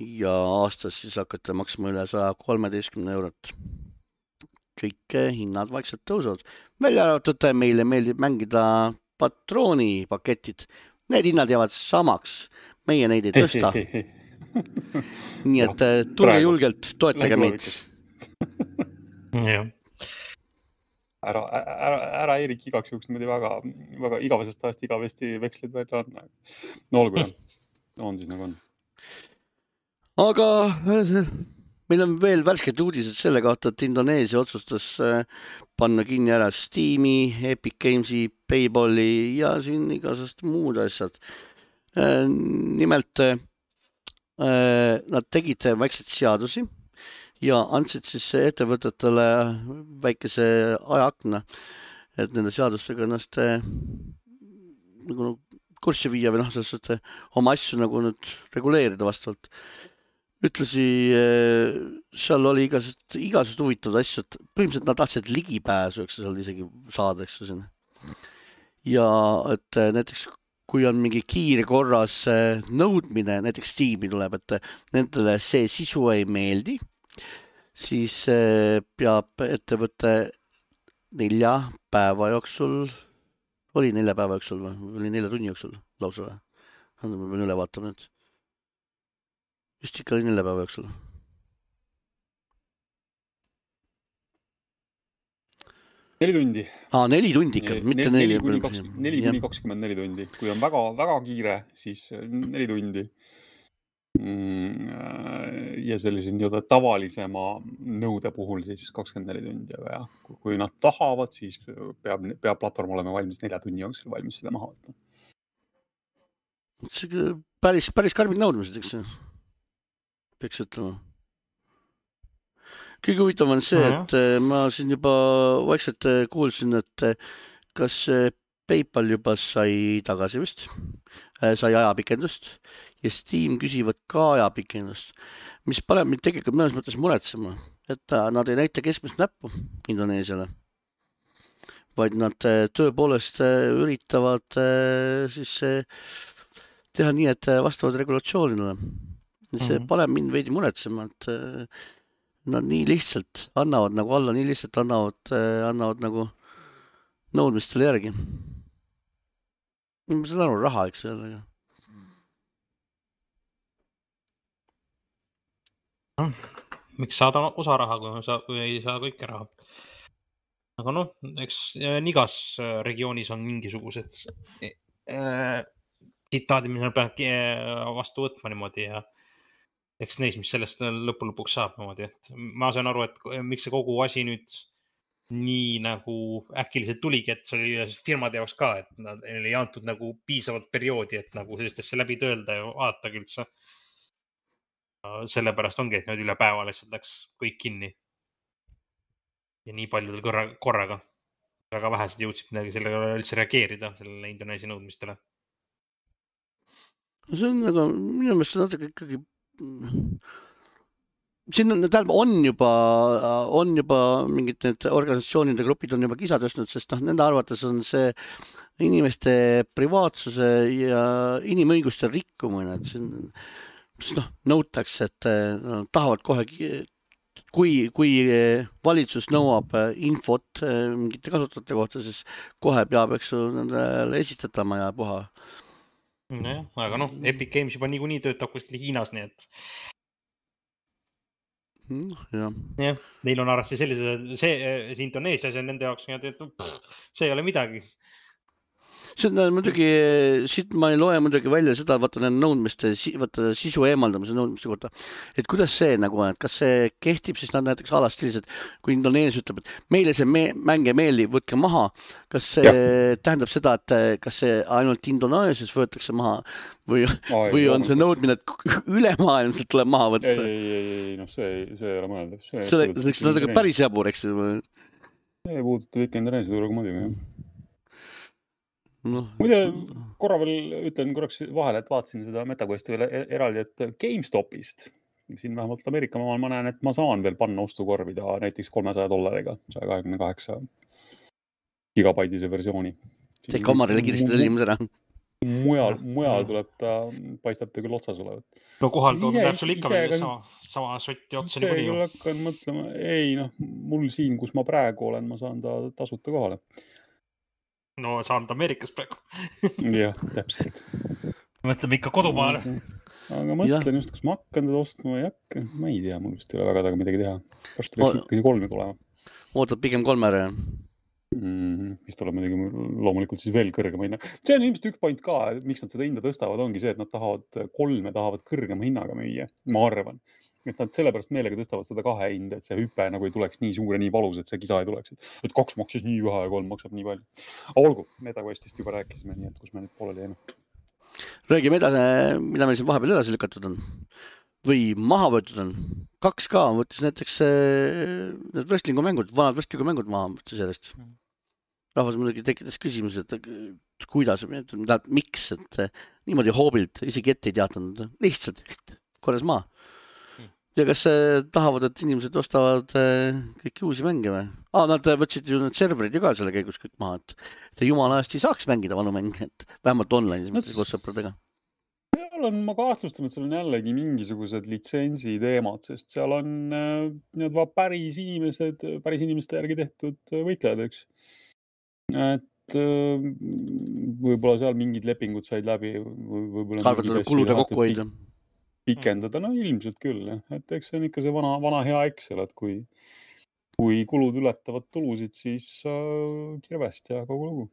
ja aastas siis hakata maksma üle saja kolmeteistkümne eurot. kõik hinnad vaikselt tõusevad. Välja arvatud meile meeldib mängida patroonipaketid. Need hinnad jäävad samaks. Meie neid ei tõsta. Nii et tulge julgelt, toetage meid. Jah. Ära, ära, ära Eerik igaks juhuks niimoodi väga, väga igavesest ajast igavesti vekslid välja on. No olgu jah. On siis nagu on. Aga meil on veel värsked uudised selle kohta, et Indoneesia otsustas panna kinni ära Steam'i, Epic Games'i, Payballi ja siin igasest muud asjad. Nimelt nad tegid väikseid seadusi ja andsid siis ettevõtetele väikese ajaakna, et nende seadustega ennast nagu kurssi viia või noh, selles, et oma asju nagu nüüd reguleerida vastavalt. Ütlesi, seal oli igasest, igasest huvitavad asju, et põhimõtteliselt nad tahtsid ligipääsu, eks seal isegi saada, eks siin. Ja et näiteks kui on mingi kiire korras nõudmine, näiteks Steam'i tuleb, et nendele see sisu ei meeldi, siis peab ettevõte nelja päeva jooksul, oli nelja päeva jooksul või? Oli nelja tunni jooksul lausa või? Ma pean üle vaatama nüüd. Vist ikka oli nelja päeva jooksul. Neli tundi. Aa, neli tundi ikka, mitte neli. Neli kuni kakskümmend neli tundi. Kui on väga, väga kiire, siis neli tundi. Ja sellise nii-öelda tavalisema nõude puhul siis kakskümmend neli tundi. Ja kui nad tahavad, siis peab, peab platvorm olema valmis nelja tunni jooksul valmis seda maha võtma. See päris, päris karbid nõudmised, eks see? Peaks ütlema. Kõige huvitav on see, et ma siin juba vaikselt kuulsin, et kas PayPal juba sai tagasi vist, sai ajapikendust ja Steam küsivad ka ajapikendust, mis paneb mind tegelikult mõnes mõttes muretsema, et nad ei näita keskmist näppu Indoneesiale, vaid nad tõepoolest üritavad siis teha nii, et vastavad regulatsioonile. See paneb mind veidi muretsema, et nad nii lihtsalt annavad nagu alla, nii lihtsalt annavad, annavad nagu nõudmistele järgi. Ma saan aru, raha, eks jälle. Miks saada osa raha, kui, saa, kui ei saa kõike raha? Aga noh, eks igas regioonis on mingisugused äh, tsitaadid, mis peab vastu võtma niimoodi ja eks neis, mis sellest lõpu lõpuks saab niimoodi, et ma saan aru, et miks see kogu asi nüüd nii nagu äkiliselt tuligi, et see oli firmade jaoks ka, et nad ei antud nagu piisavalt perioodi, et nagu sellistesse läbi töölda ja vaatagi üldse. Sellepärast ongi, et nüüd üle päeva lihtsalt läks kõik kinni. Ja nii paljudel korra, korraga. Väga vähesed jõudsid midagi sellega üldse reageerida, sellele Indoneesia nõudmistele. See on nagu, minu meelest see natuke ikkagi siin on, tähendab, on juba, on juba mingid need organisatsioonide grupid on juba kisa tõstnud, sest noh, nende arvates on see inimeste privaatsuse ja inimõiguste rikkumine, et siin noh, nõutakse, et no, tahavad kohe, kui, kui valitsus nõuab infot mingite kasutajate kohta, siis kohe peab, eks nendele esitatama ja puha. No, aga noh, Epic Games juba niikuinii töötab kuskil Hiinas, nii et ja. Ja, neil on arvasti sellised, see, see Indoneesia, see on nende jaoks, et see ei ole midagi. See on muidugi, siit ma ei loe muidugi välja seda, vaata nende nõudmiste, vaata sisu eemaldamise nõudmiste kohta, et kuidas see nagu on, et kas see kehtib, siis nad näiteks alast sellised, kui Indoneesia ütleb, et meile see me, mänge meeli, võtke maha, kas see ja. Tähendab seda, et kas see ainult Indoneesias võetakse maha või, Ai, või on see nõudmine, et ülemaailmselt tuleb maha võtta? Ei, ei, ei, noh, see, see ei ole mõeldav. See, see, see, see on päris jabur, eks? See puudutab ikka Indoneesia turuga muidugi, jah. No. Muide, korra veel ütlen korraks vahele, et vaatasin seda MetaQuesti veel eraldi, et GameStopist, siin vähemalt Ameerika maal ma näen, et ma saan veel panna ostukorvida näiteks kolmesaja dollariga, saja kahekümne kaheksa gigabaidise versiooni. Teik omarile kiiresti tellimus ära. Mujal, mujal tuleb ta, paistab ta küll otsas olevat. No kohal tuleb sul ikka veel sama, sama sotti otsani see kuni küll hakkan mõtlema, ei noh, mul siin, kus ma praegu olen, ma saan ta tasuta kohale. No saan ta Ameerikas praegu. Jah, täpselt. Mõtleme ikka kodumaale. Aga mõtlen just, kas ma hakkan teda ostma või hakka. Ma ei tea, mul just ei ole väga taga midagi teha. Pärast võiks ikkagi kolmi tulema. Ootad pigem kolme ära, jah? Mm, mis tuleb muidugi loomulikult siis veel kõrgema hinna. See on ilmselt üks point ka, miks nad seda hinda tõstavad, ongi see, et nad tahavad kolme tahavad kõrgema hinnaga müüa, ma arvan. Et nad sellepärast meelega tõstavad seda kahe hinda, et see hüpe nagu ei tuleks nii suur ja nii valus, et see kisa ei tuleks. Et kaks maksis nii vähe ja kolm maksab nii palju. Olgu, MetaQuestist juba rääkisime, nii et kus me nüüd pooleli jäime. Räägime edasi, mida meil siin vahepeal edasi lükatud on. Või maha võetud on. kaks K võttis näiteks need wrestlingu mängud, vanad wrestlingu mängud maha võttis järjest. Rahvas muidugi tekitas küsimus, et kuidas, miks, et niimoodi hoobilt isegi ette ei teatanud. Lihtsalt korras maa. Ja kas tahavad, et inimesed ostavad kõiki uusi mänge või? Ah, nad võtsid ju need serverid ju ka selle käigus kõik maha, et jumala eest ei saaks mängida vanu mänge, et vähemalt online koos sõpradega. On, ma kahtlustan, et seal on jällegi mingisugused litsentsi teemad, sest seal on need päris inimesed, päris inimeste järgi tehtud võitlejad, eks. Et võib-olla seal mingid lepingud said läbi. Arvatud kulude kokku hoida. Pikendada, no ilmselt küll. Et eks see on ikka see vana, vana hea Excel, et kui, kui kulud ületavad tulusid, siis äh, kirvest ja kogu lugu.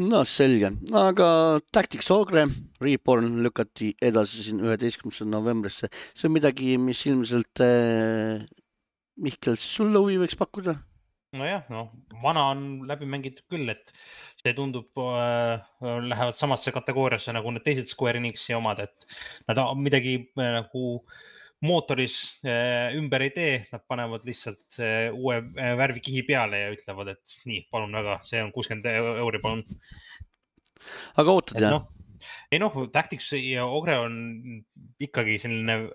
No selge, aga Tactics Ogre Reborn lükati edasi siin üheteistkümnendast novembrisse. See on midagi, mis ilmselt äh, Mihkel sulle huvi võiks pakkuda? Nojah, no vana on läbi mängitud küll, et see tundub äh, lähevad samasse kategooriasse nagu need teised Square Enixi omad, et nad midagi äh, nagu mootoris äh, ümber ei tee, nad panevad lihtsalt äh, uue äh, värvikihi peale ja ütlevad, et nii, palun väga, see on kuuskümmend euri, palun. Aga ootad, jah? No, ei noh, Tactics ja Ogre on ikkagi selline,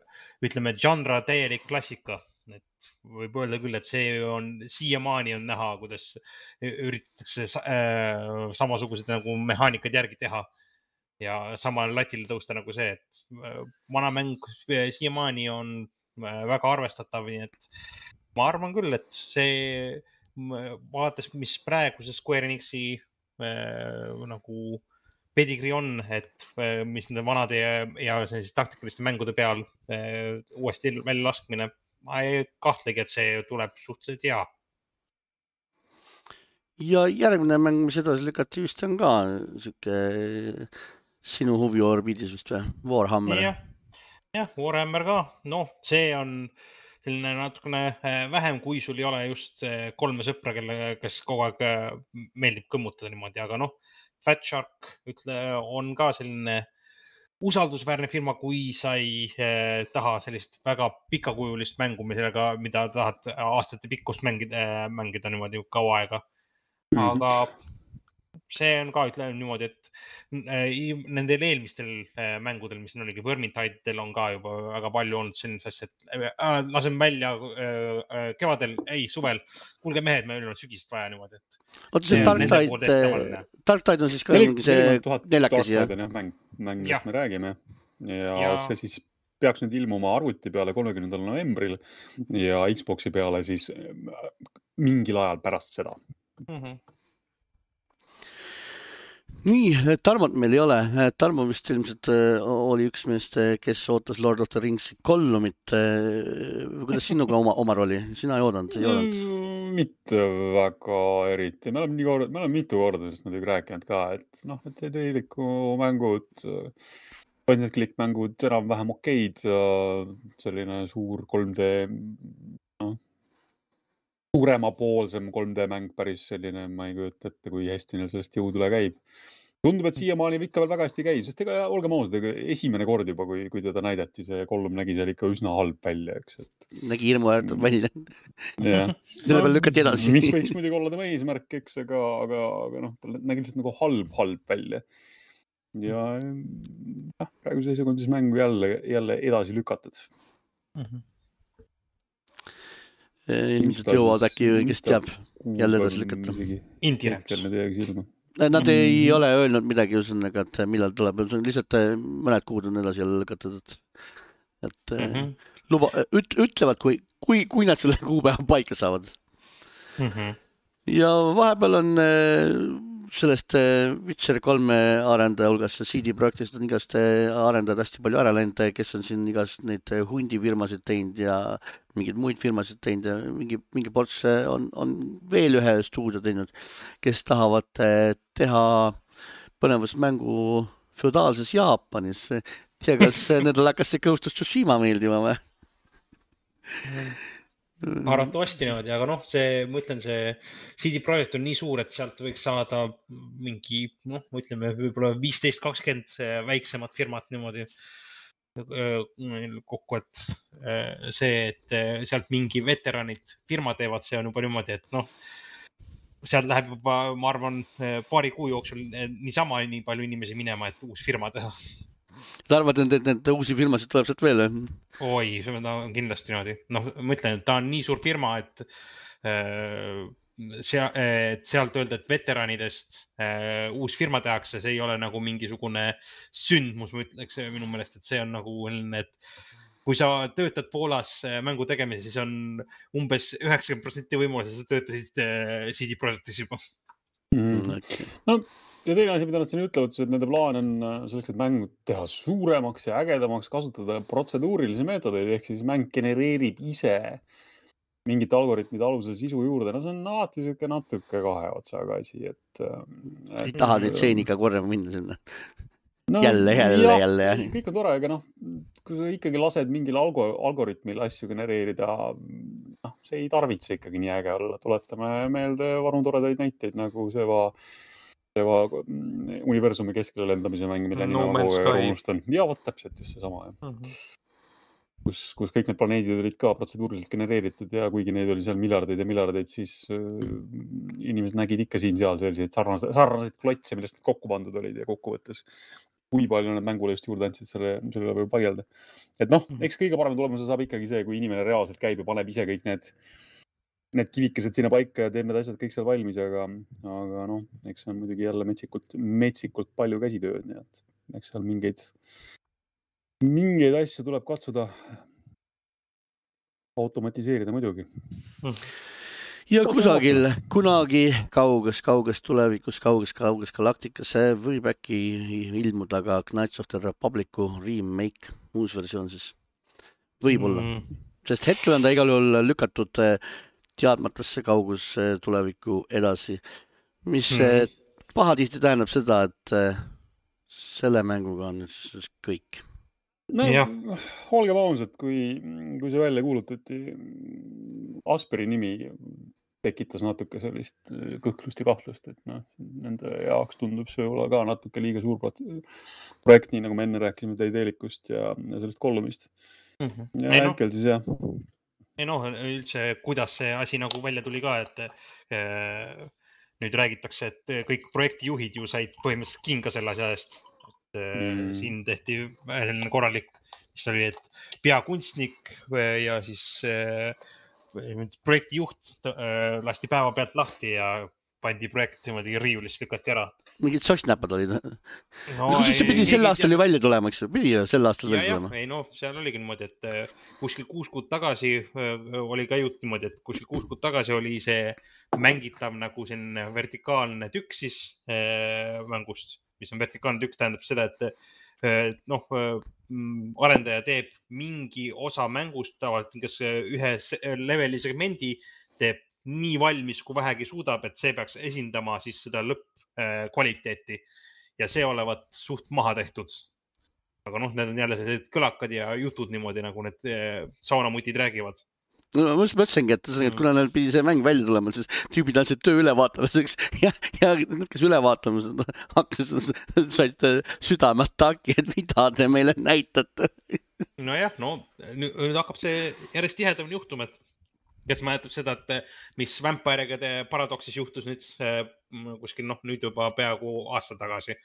ütleme, genre täielik klassika. Et võib öelda küll, et see on siiamaani on näha, kuidas üritatakse äh, samasugused nagu mehaanikad järgi teha ja samal latil tõusta nagu see, et vana mäng siiamaani on väga arvestatav, nii et ma arvan küll, et see vaadates, mis praeguse Square Enixi äh, nagu pedigrii on, et äh, mis nende vanade ja, ja taktikaliste mängude peal äh, uuesti välja laskmine, ma ei kahtlegi, et see tuleb suhteliselt hea. Ja järgmine mäng, mis edasi lükati vist on ka siuke sinu huvi orbiidis vist või? Warhammer. Ja, jah, Warhammer ka. No, see on selline natukene vähem, kui sul ei ole just kolme sõpra, kelle, kes kogu aeg meeldib kõmmutada niimoodi, aga noh, Fat Shark ütle, on ka selline usaldusväärne firma, kui sa ei eh, taha sellist väga pikakujulist mängu, millega, mida tahad aastate pikkust mängida, mängida niimoodi kaua aega. Aga see on ka, ütleme niimoodi, et eh, nendel eelmistel eh, mängudel, mis oligi Vermintide'el on ka juba väga palju olnud sellist asja, et äh, lasen välja äh, kevadel, ei, suvel. Kuulge mehed, me oleme sügisest vaja niimoodi. Oota, see Dark Tide, Dark Tide on siis ka mingi see neljakesi. Dark Tide on jah, mäng, mäng millest me räägime. Ja, ja see siis peaks nüüd ilmuma arvuti peale kolmekümnendal novembril ja Xboxi peale siis mingil ajal pärast seda. Mhm. Nii, Tarmot meil ei ole. Tarmo vist ilmselt oli üks meest, kes ootas Lord of the Rings Gollumit. Kuidas sinuga oma, omar oli? Sina ei oodanud? Ei oodanud? Mitte väga eriti. Me oleme, nii korda, me oleme mitu korda sest nad rääkinud ka, et noh, et teiliku mängud, painded klikkmängud enam vähem okeid, selline suur kolm D, noh, suurema poolsem kolm D mäng päris selline, ma ei kujuta ette, kui hästi neil sellest jõud üle käib. Tundub, et siiamaani ikka veel väga hästi käib, sest ega olgem ausad, esimene kord juba, kui, kui teda näidati, see Gollum nägi seal ikka üsna halb välja, eks. Et... Nägi hirmu äärtult välja. Yeah. Selle peal lükati edasi. Mis võiks muidugi olla tema eesmärk, eks, aga, aga, aga noh, ta nägi lihtsalt nagu halb, halb välja. Ja jah, praegu seisuga on siis mängu jälle, jälle edasi lükatud. Mhm. Ilmselt jõuavad äkki, kes teab, jälle edasi lükata. Indie Reps. Nad mm. ei ole öelnud midagi ühesõnaga, et millal tuleb, lihtsalt mõned kuud on edasi jälle lõkatud, et mm -hmm. luba, üt, ütlevad, kui, kui, kui nad selle kuupäeva paika saavad. Mm -hmm. Ja vahepeal on sellest Witcher kolme arendaja hulgas C D projektist on igast arendajad hästi palju ära läinud, kes on siin igast neid hundifirmasid teinud ja mingeid muid firmasid teinud ja mingi, mingi ports on, on veel ühe stuudio teinud, kes tahavad teha põnevust mängu feudaalses Jaapanis. Tea, kas nendel hakkas see Ghost of Tsushima meeldima või? Arvatavasti niimoodi, aga noh, see, ma ütlen, see C D Projekt on nii suur, et sealt võiks saada mingi, noh, ütleme võib-olla viisteist kakskümmend väiksemat firmat niimoodi kokku, et see, et sealt mingi veteranid firma teevad, see on juba niimoodi, et noh, sealt läheb juba, ma arvan, paari kuu jooksul niisama nii palju inimesi minema, et uus firma teha. Ta arvad, et need uusi firmasid tuleb sealt veel? Oi, see on kindlasti niimoodi. Noh, ma ütlen, et ta on nii suur firma, et seal, et sealt öelda, et veteranidest uus firma tehakse, see ei ole nagu mingisugune sündmus, ma ütleks minu meelest, et see on nagu, et kui sa töötad Poolas mängu tegemise, siis on umbes üheksakümmend protsenti võimalus, sa töötasid C D Projektis juba. Mm. No, ja teine asi, mida nad siin ütlevad, et nende plaan on selleks, et mängu teha suuremaks ja ägedamaks, kasutada protseduurilisi meetodeid, ehk siis mäng genereerib ise mingite algoritmide alusel sisu juurde. No see on alati siuke natuke kahe otsaga asi, et... et ei taha neid tseeni ikka korrama minna sinna. No, jälle, jälle, ja, jälle. Kõik on tore, aga noh, kui sa ikkagi lased mingil algo, algoritmil asju genereerida, noh, see ei tarvitse ikkagi nii äge olla. Tuletame meelde vanu toredaid näiteid, nagu see va, see va universumi keskele lendamise mäng, mille no, nime ma unustan. Ja vot täpselt just see sama. Uh -huh. kus, kus kõik need planeedid olid ka protseduuriliselt genereeritud ja kuigi neid oli seal miljardeid ja miljardeid, siis äh, inimesed nägid ikka siin-seal selliseid sarnaseid, sarnaseid klotse, millest need kokku pandud olid ja kokkuvõttes kui palju need mängule just juurde andsid, selle, selle võib pagelda. Et noh, eks kõige parem tulemuse saab ikkagi see, kui inimene reaalselt käib ja paneb ise kõik need, need kivikesed sinna paika ja teeb need asjad kõik seal valmis, aga, aga noh, eks see on muidugi jälle metsikult, metsikult palju käsitööd, nii et eks seal mingeid, mingeid asju tuleb katsuda automatiseerida muidugi. Ja kusagil, kunagi kauges, kauges tulevikus, kauges, kauges galaktikas võib äkki ilmuda ka Knights of the Republicu remake, uus versioon siis. Võib-olla. Mm. Sest hetkel on ta igal juhul lükatud teadmatasse kaugus tuleviku edasi, mis mm. pahatihti tähendab seda, et selle mänguga on siis kõik. No, olge vausad, kui, kui see välja kuulutati, Asperi nimi tekitas natuke sellist kõhklust ja kahtlust, et noh, nende jaoks tundub see olla ka natuke liiga suur projekt, nii nagu me enne rääkisime Teidelikust ja, ja sellest Kollumist. Mm -hmm. Ja ei hetkel no, siis jah. Ei noh, üldse, kuidas see asi nagu välja tuli ka, et äh, nüüd räägitakse, et kõik projektijuhid ju said põhimõtteliselt kinga selle asja eest. Mm. Siin tehti korralik, mis oli, et peakunstnik ja siis äh, projektijuht äh, lasti päeva pealt lahti ja pandi projekt niimoodi riiulist lükati ära. Mingid sossnäpad olid. No, no, see pidi sel aastal ju välja tulema, eks? Pidi ju sel aastal välja tulema. Ei no, seal oligi niimoodi, et kuskil kuus kuud tagasi oli ka jutt niimoodi, et kuskil kuus kuud tagasi oli see mängitav nagu selline vertikaalne tükk siis äh, mängust, mis on vertikaalne tükk, tähendab seda, et noh, arendaja teeb mingi osa mängust tavaliselt, kas ühe leveli segmendi teeb nii valmis, kui vähegi suudab, et see peaks esindama siis seda lõppkvaliteeti ja see olevat suht maha tehtud. Aga noh, need on jälle sellised kõlakad ja jutud niimoodi, nagu need saunamutid räägivad. No, ma just mõtlesingi, et, et kuna neil pidi see mäng välja tulema, siis tüübid andsid töö ülevaatamiseks ja, ja need, kes üle vaatama hakkas, said südameataki, et mida te meile näitate. Nojah, no nüüd hakkab see järjest tihedamini juhtuma, et kes mäletab seda, et mis Vampire'ide Paradoxis juhtus nüüd kuskil, noh, nüüd juba peaaegu aasta tagasi.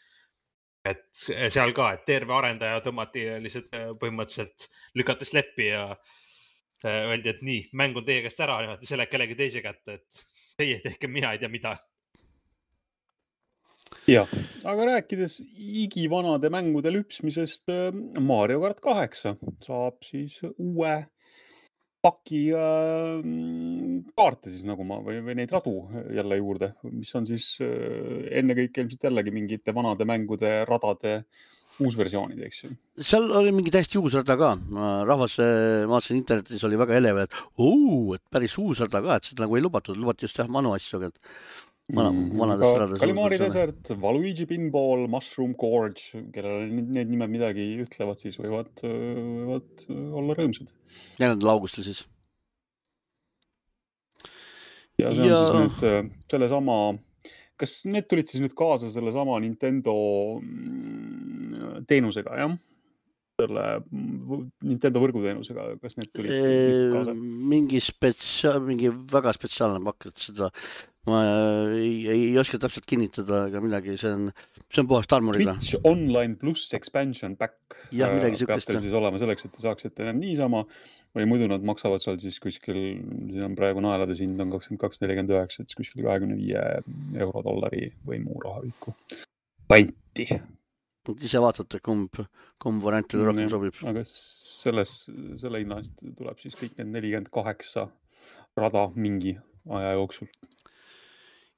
Et seal ka, et terve arendaja tõmmati lihtsalt põhimõtteliselt lükates leppi ja öeldi, et nii, mäng on teie käest ära, niimoodi selle kellegi teise kätte, et teie tehke, mina ei tea mida. jah, aga rääkides igivanade mängude lüpsmisest, Mario Kart kaheksa saab siis uue paki äh, kaarte siis nagu ma või, või neid radu jälle juurde, mis on siis äh, ennekõike ilmselt jällegi mingite vanade mängude radade uusversioonid, eks ju. Seal oli mingi täiesti uus rada ka. Rahvas, ma vaatasin internetis, oli väga elev, et uu, et päris uus rada ka, et seda nagu ei lubatud. Lubati just jah manu asju, aga vana, vanadest radadest. Kalimari Desert, Waluigi Pinball, Mushroom Gorge, kellele need nimed midagi ütlevad, siis võivad, võivad olla rõõmsad. neljandal augustil siis. Ja see on ja... siis nüüd selle sama, kas need tulid siis nüüd kaasa selle sama Nintendo teenusega, jah? Selle Nintendo võrguteenusega, kas need tulid eee, kaasa? Mingi spetsia-, mingi väga spetsiaalne pakk, et seda ma ei, ei oska täpselt kinnitada ega midagi, see on, see on puhast armoriga. Twitch Online plus Expansion Pack ja, midagi sükest, peab teil siis olema selleks, et te saaksite need niisama või muidu nad maksavad seal siis kuskil, siin on praegu naelades hind on kakskümmend kaks nelikümmend üheksa, et kuskil kahekümne viie euro dollari või muu rahaviku panti. Ise vaatate, kumb, kumb variantile rohkem sobib. Aga selles, selle hinna eest tuleb siis kõik need nelikümmend kaheksa rada mingi aja jooksul.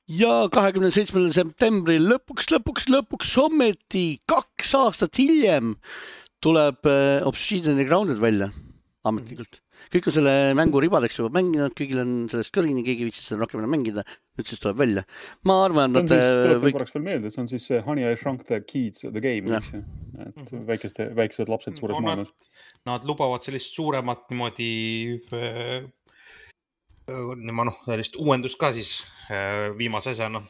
Ja kahekümne seitsmendal septembril lõpuks, lõpuks, lõpuks ometi kaks aastat hiljem tuleb Obsidian Grounded välja ametlikult. Kõik on selle mängu ribadeks juba mänginud, kõigil on sellest kõrini, keegi viitsis seda rohkem mängida, nüüd siis tuleb välja. Ma arvan, et... Tuletan või... korraks veel meelde, et see on siis Honey, I Shrunk the Kids, the game, eks ju. Et mm-hmm. väikeste, väikesed lapsed suures no, maailmas. Nad, nad lubavad sellist suuremat niimoodi... Nima, noh, sellist uuendust ka siis viimase asjana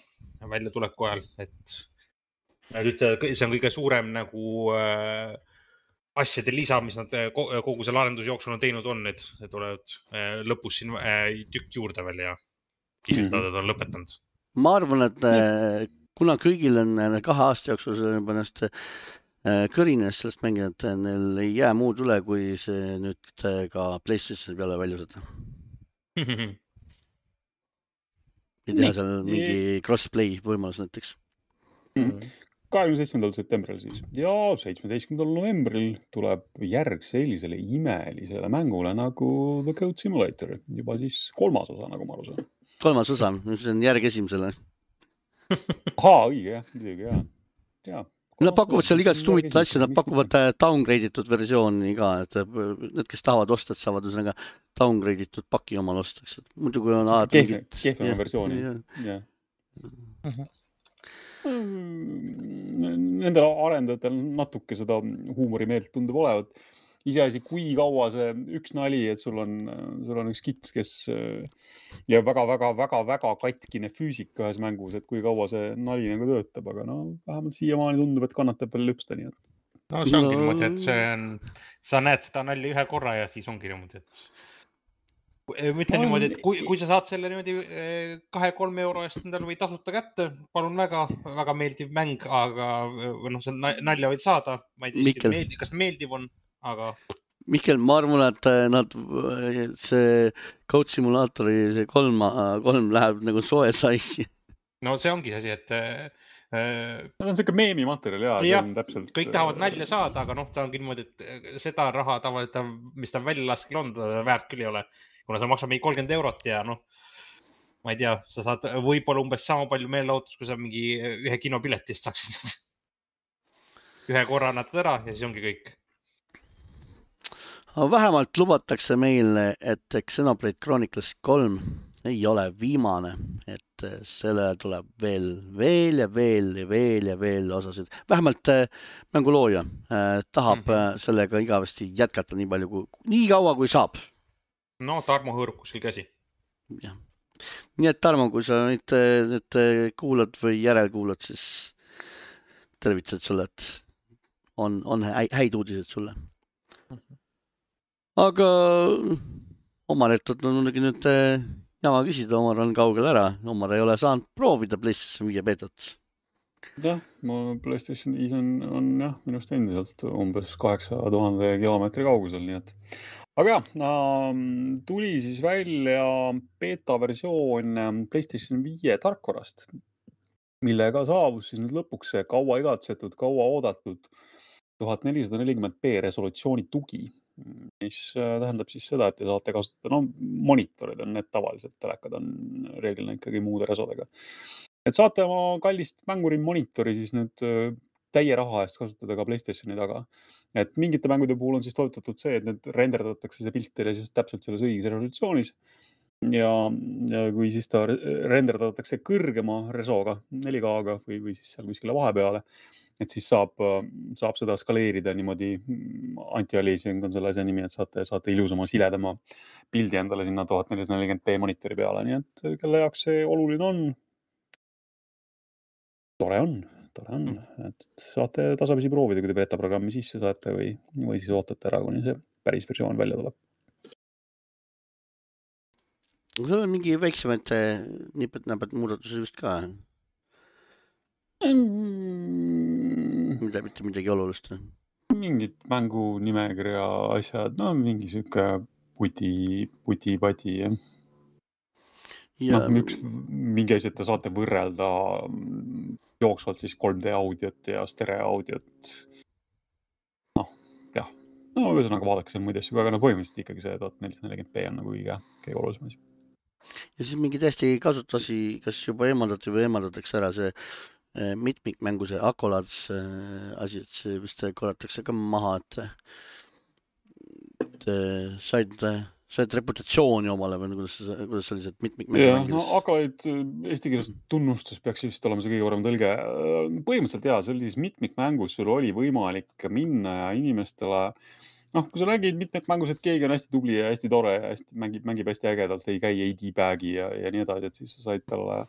välja tuleku ajal, et see on kõige suurem nagu asjade lisa, mis nad kogu selle arendusjooksul on teinud on, et tulevad lõpus siin tükk juurde veel ja kiirtadad on lõpetanud. Ma arvan, et kuna kõigil on kahe aasta jooksul ennast kõrines sellest mängijad, neil ei jää muud üle, kui see nüüd ka PlayStation peale välja seda. Ja teha seal mingi crossplay võimalus näiteks. kahekümne seitsmendal septembril siis. Ja seitsmeteistkümnendal novembril tuleb järg sellisele imelisele mängule nagu The Code Simulator. Juba siis kolmas osa, nagu ma aru saan. Kolmas osa, see on järg esimesele. Haa, õige, jah, midagi, jah. jah. Nad pakuvad seal igast huvitavat asja, nad pakuvad downgradeitud versiooni ka, et need, kes tahavad osta, et saavad üsnaga downgradeitud paki omal ostaks. Muidu kui on alati mingit... Kehvema versiooni, jah. Nendel arendajatel natuke seda huumorimeelt tundub olevat. Iseasi, kui kaua see üks nali, et sul on, sul on üks kits, kes ja väga, väga, väga, väga katkine füüsika ühes mängus, et kui kaua see nali nagu töötab, aga no vähemalt siiamaani tundub, et kannatab veel lõpsta nii. Et... No see ongi niimoodi, et see on, sa näed seda nalli ühe korra ja siis ongi niimoodi, et ma ütlen niimoodi, et kui, kui sa saad selle niimoodi kahe-kolme euro eest endal või tasuta kätte, palun väga, väga meeldiv mäng, aga noh, see nalja võid saada, ma ei tea, meeldi, kas meeldiv on. Aga... Mihkel, ma arvan, et nad, see Code Simulatori see kolm, kolm läheb nagu soe saisi. No see ongi asi, et... Nad on selline meemi materjal, jaa. Ja, on täpselt... kõik tahavad nalja saada, aga noh, ta ongi niimoodi, et seda raha tavaliselt, mis ta välja laskel on, ta väärt küll ei ole. Kuna sa maksab mingi kolmkümmend eurot ja noh, ma ei tea, sa saad võib-olla umbes sama palju meelelautus, kui sa mingi ühe kinopiletist saaksid. Ühe korra annatad ära ja siis ongi kõik. Vähemalt lubatakse meile, et Xenoblade Chronicles kolm ei ole viimane, et selle tuleb veel, veel ja veel ja veel ja veel osasid. Vähemalt mängulooja tahab mm-hmm. sellega igavesti jätkata nii palju, kui, nii kaua kui saab. No, Tarmo hõõrub kuskil käsi. Ja. Nii et Tarmo, kui sa nüüd, nüüd kuulad või järelkuulad, siis tervitsed sulle, et on, on häid uudised sulle. Mm-hmm. Aga Omaret on muidugi nüüd jama küsida, Omar on kaugel ära. Omar ei ole saanud proovida PlayStation viie beetat. Jah, ma PlayStation viis on, on jah, minust endiselt umbes kaheksa tuhande kilomeetri kaugusel, nii et. Aga jah, tuli siis välja beta versioon PlayStation viie tarkvarast, millega saabus siis nüüd lõpuks see kaua igatsetud, kaua oodatud tuhat nelisada nelikümmend p resolutsiooni tugi, mis tähendab siis seda, et te saate kasutada, no monitorid on need tavaliselt, telekad on reeglina ikkagi muude resodega. Et saate oma kallist mänguri monitori siis nüüd täie raha eest kasutada ka PlayStationi taga. Et mingite mängude puhul on siis toetatud see, et need renderdatakse see pilt teile just täpselt selles õiges resolutsioonis. Ja, ja kui siis ta renderdatakse kõrgema resoga, neli K-ga või, või siis seal kuskile vahepeale, et siis saab, saab seda skaleerida niimoodi, anti-aliasing on selle asja nimi, et saate, saate ilusama siledama pildi endale sinna tuhat nelisada nelikümmend p monitori peale, nii et kelle jaoks see oluline on, tore on, tore on, et saate tasapisi proovida, kui te beta programmi sisse saate või, või siis ootate ära, kuni see päris versioon välja tuleb. Sul on mingi väiksemaid nipet-näpet muudatusi just ka? Mm. Mida, mitte midagi olulist? Mingid mängu nimekirja asjad, no mingi siuke puti, puti-pati. Ja... No, üks mingi asjad te saate võrrelda jooksvalt siis kolm D audiot ja stereo audiot. Noh, jah. No, ühesõnaga vaadake seal muid asju, aga no põhimõtteliselt ikkagi see tuhat nelisada nelikümmend p on nagu kõige, kõige olulisem asi. Ja siis mingi täiesti kasutasi, kas juba eemaldati või eemaldatakse ära see mitmikmängu, see Accolades asi, et see vist korratakse ka maha, et, et said, said reputatsiooni omale või kuidas, kuidas sellised mitmikmängu ja, no Accolade eesti keeles tunnustus peaks vist olema see kõige parem tõlge. Põhimõtteliselt jaa, see oli siis mitmikmängus, sul oli võimalik minna ja inimestele noh, kui sa nägid mitmikmängus, et keegi on hästi tubli ja hästi tore ja hästi, mängib, mängib hästi ägedalt, ei käi A D-bagi ja, ja nii edasi, et siis sa said talle,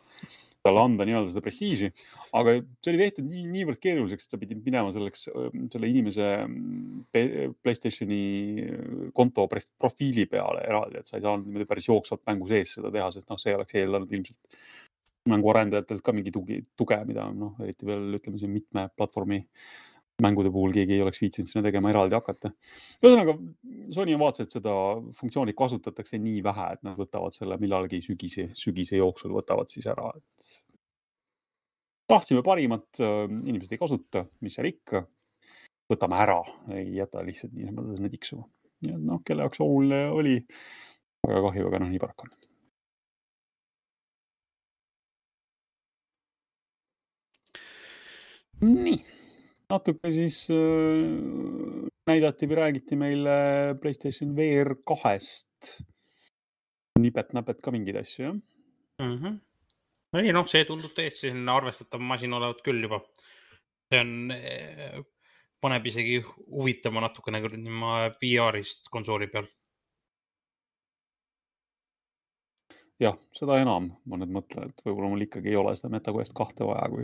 talle anda nii-öelda seda prestiiži. Aga see oli tehtud nii, niivõrd keeruliseks, et sa pidid minema selleks, selle inimese PlayStationi konto profiili peale eraldi, et sa ei saanud päris jooksvalt mängu sees seda teha, sest noh, see oleks eeldanud ilmselt mängu arendajatelt ka mingi tugi, tuge, mida noh, eriti veel ütleme siin mitme platvormi mängude puhul keegi ei oleks viitsinud sinna tegema eraldi hakata. Ühesõnaga, Sony on vaatas, et seda funktsiooni kasutatakse nii vähe, et nad võtavad selle millalgi sügise, sügise jooksul võtavad siis ära. Et tahtsime parimat, inimesed ei kasuta, mis seal ikka, võtame ära, ei jäta lihtsalt nii, nii tiksuma. Ja noh, kelle jaoks oluline oli, väga kahju, aga noh, nii paraku on. Nii. Natuke siis äh, näidati või räägiti meile PlayStation V R kahest. Nipet-näpet ka mingid asju, jah? Mm-hmm. Ei, noh, see tundub täiesti arvestatav masin olevat küll juba. See on, paneb isegi huvitama natukene V R-ist konsooli peal. Jah, seda enam ma nüüd mõtlen, et võib-olla mul ikkagi ei ole seda MetaQuest kahte vaja, kui,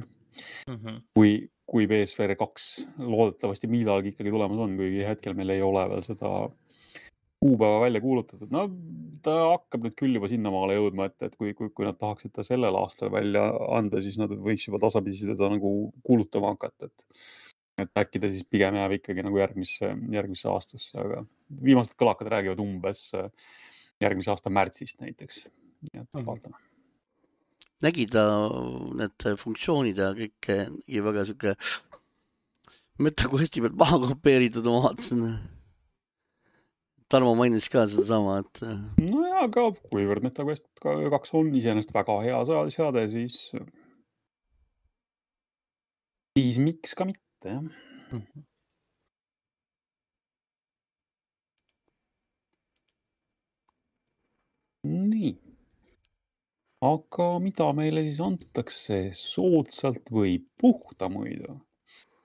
mm-hmm. kui, kui P S V R kaks loodetavasti millalgi ikkagi tulemas on, kui hetkel meil ei ole veel seda kuupäeva välja kuulutatud. No, ta hakkab nüüd küll juba sinnamaale jõudma, et, et kui, kui, kui nad tahaksid ta sellel aastal välja anda, siis nad võiks juba tasapisi teda nagu kuulutama hakata, et, et äkki ta siis pigem jääb ikkagi nagu järgmisse, järgmisse aastasse, aga viimased kõlakad räägivad umbes järgmise aasta märtsist näiteks. Nii et vaatame. Nägi ta need funktsioonid ja kõik nägi väga siuke MetaQuesti pealt maha kopeeritud, ma vaatasin. Tarmo mainis ka seda sama, et... No jaa, aga kuivõrd MetaQuest kaks on iseenesest väga hea seade, siis... Siis miks ka mitte, jah. Mm-hmm. Nii. Aga mida meile siis antakse soodsalt või puhta muidu?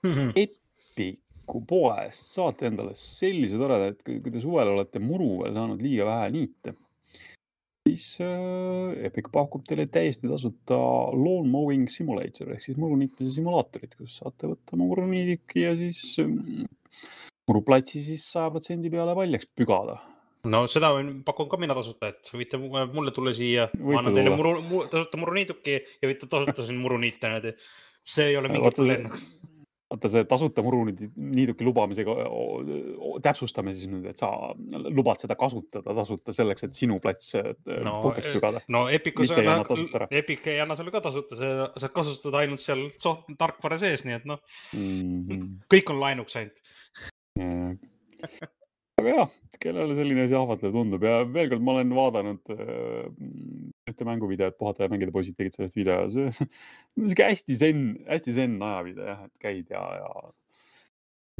Mm-hmm. Epiku poest saate endale sellise toreda, et kui te suvel olete muru veel saanud liiga vähe niite, siis äh, Epic pakub teile täiesti tasuta lawn mowing simulator ehk siis muruniitmise simulaatorit, kus saate võtta muruniidiki ja siis äh, muruplatsi siis saja protsendi peale paljaks pügada. No seda pakun ka mina tasuta, et võite mulle tulla siia, ma annan teile muru, muru, tasuta muruniiduki ja võite tasuta siin muruniite. See ei ole mingi probleem. vaata see tasuta muruniidi niiduki lubamisega täpsustame siis nüüd, et sa lubad seda kasutada tasuta selleks, et sinu plats no, puhtaks pügada. No Epicus Mitte ei anna tasuta ära. Epic ei anna sulle ka tasuta, sa saad kasutada ainult seal soht, tarkvara sees, nii et noh, mm-hmm. kõik on laenuks ainult. Yeah. Aga jah, kellele selline asi ahvatlev tundub ja veel kord ma olen vaadanud äh, ühte mänguvideot, puhata ja mängida poisid tegid sellest video. See on hästi zen, hästi zen ajavideo jah, et käid ja, ja,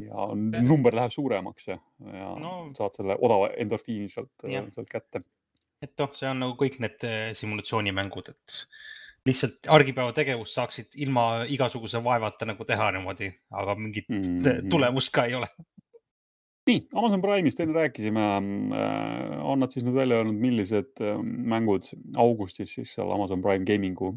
ja number läheb suuremaks ja, ja no, saad selle odava endorfiini sealt, sealt kätte. Et noh, see on nagu kõik need simulatsioonimängud, et lihtsalt argipäeva tegevust saaksid ilma igasuguse vaevata nagu teha niimoodi, aga mingit mm-hmm. tulemust ka ei ole. Nii, Amazon Prime'ist enne rääkisime, on nad siis nüüd välja öelnud, millised mängud augustis siis seal Amazon Prime Gamingu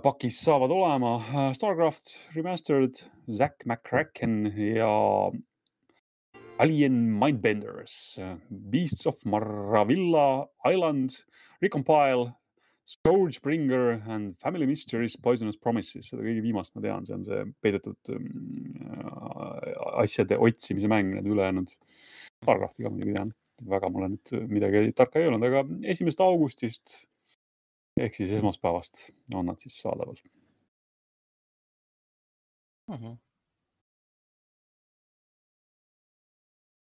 pakis saavad olema. Starcraft Remastered, Zack McCracken ja Alien Mindbenders, Beasts of Maravilla Island, Recompile, Scourgebringer and Family Mysteries Poisonous Promises. Seda kõige viimast ma tean, see on see peidetud äh, asjade otsimise mäng, need ülejäänud Starcraftiga muidugi tean. Väga mulle nüüd midagi tarka ei olnud, aga esimesest augustist ehk siis esmaspäevast on nad siis saadaval. Uh-huh.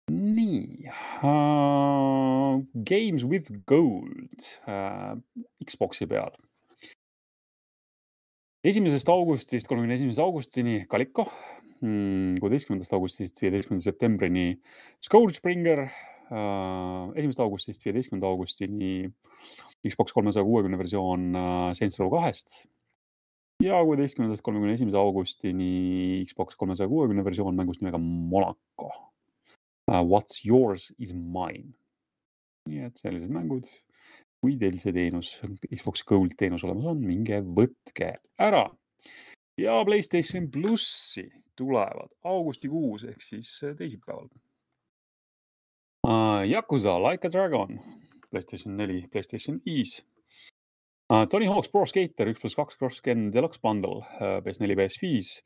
Nii, uh, Games with Gold uh, Xboxi peal. esimesest augustist kolmekümne esimese augustini Kaliko, kuueteistkümnendast augustist viieteistkümnenda septembrini Scourgebringer, uh, esimesest augustist viieteistkümnenda augustini Xbox kolmesaja kuuekümne versioon uh, Saints Row kahest ja kuueteistkümnendast kolmekümne esimese augustini Xbox kolmesaja kuuekümne versioon mängust nimega Monaco. Uh, what's yours is mine. Nii et sellised mängud, kui teil see teenus, Xbox Gold teenus olemas on, minge võtke ära. Ja PlayStation Plussi tulevad augustikuus ehk siis teisipäeval. Uh, Yakuza Like a Dragon, PlayStation neli, PlayStation viis. Uh, Tony Hawk's Pro Skater üks pluss kaks Cross-Gen Deluxe Bundle, uh, P S neli, P S viis.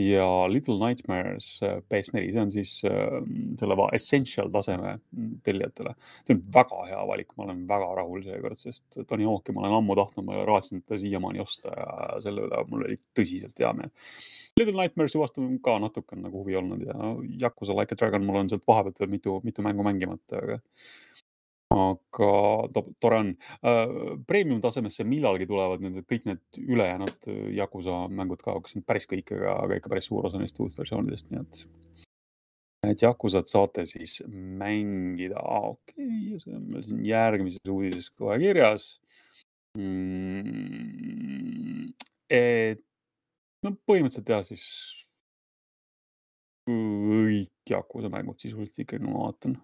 Ja Little Nightmares P S neli, see on siis äh, selle essential taseme tellijatele. See on väga hea valik, ma olen väga rahul seekord, sest Tony Hawk'i ma olen ammu tahtnud, ma raatsin ta siiamaani osta ja selle üle mul oli tõsiselt hea meel. Little Nightmares vastu ka natuke on nagu huvi olnud ja Yakuza Like a Dragon mul on sealt vahepealt veel mitu, mitu mängu mängimata, aga aga tore on. Premium tasemesse millalgi tulevad nüüd kõik need ülejäänud Yakuza mängud ka, kus on päris kõik, aga ikka päris suur osa neist uut versioonidest, nii et et Yakuzat saate siis mängida. Ah, okei, okay. See on meil siin järgmises uudises kohe kirjas. Mm, et no põhimõtteliselt teha siis kõik Yakuza mängud sisuliselt ikkagi ma vaatan.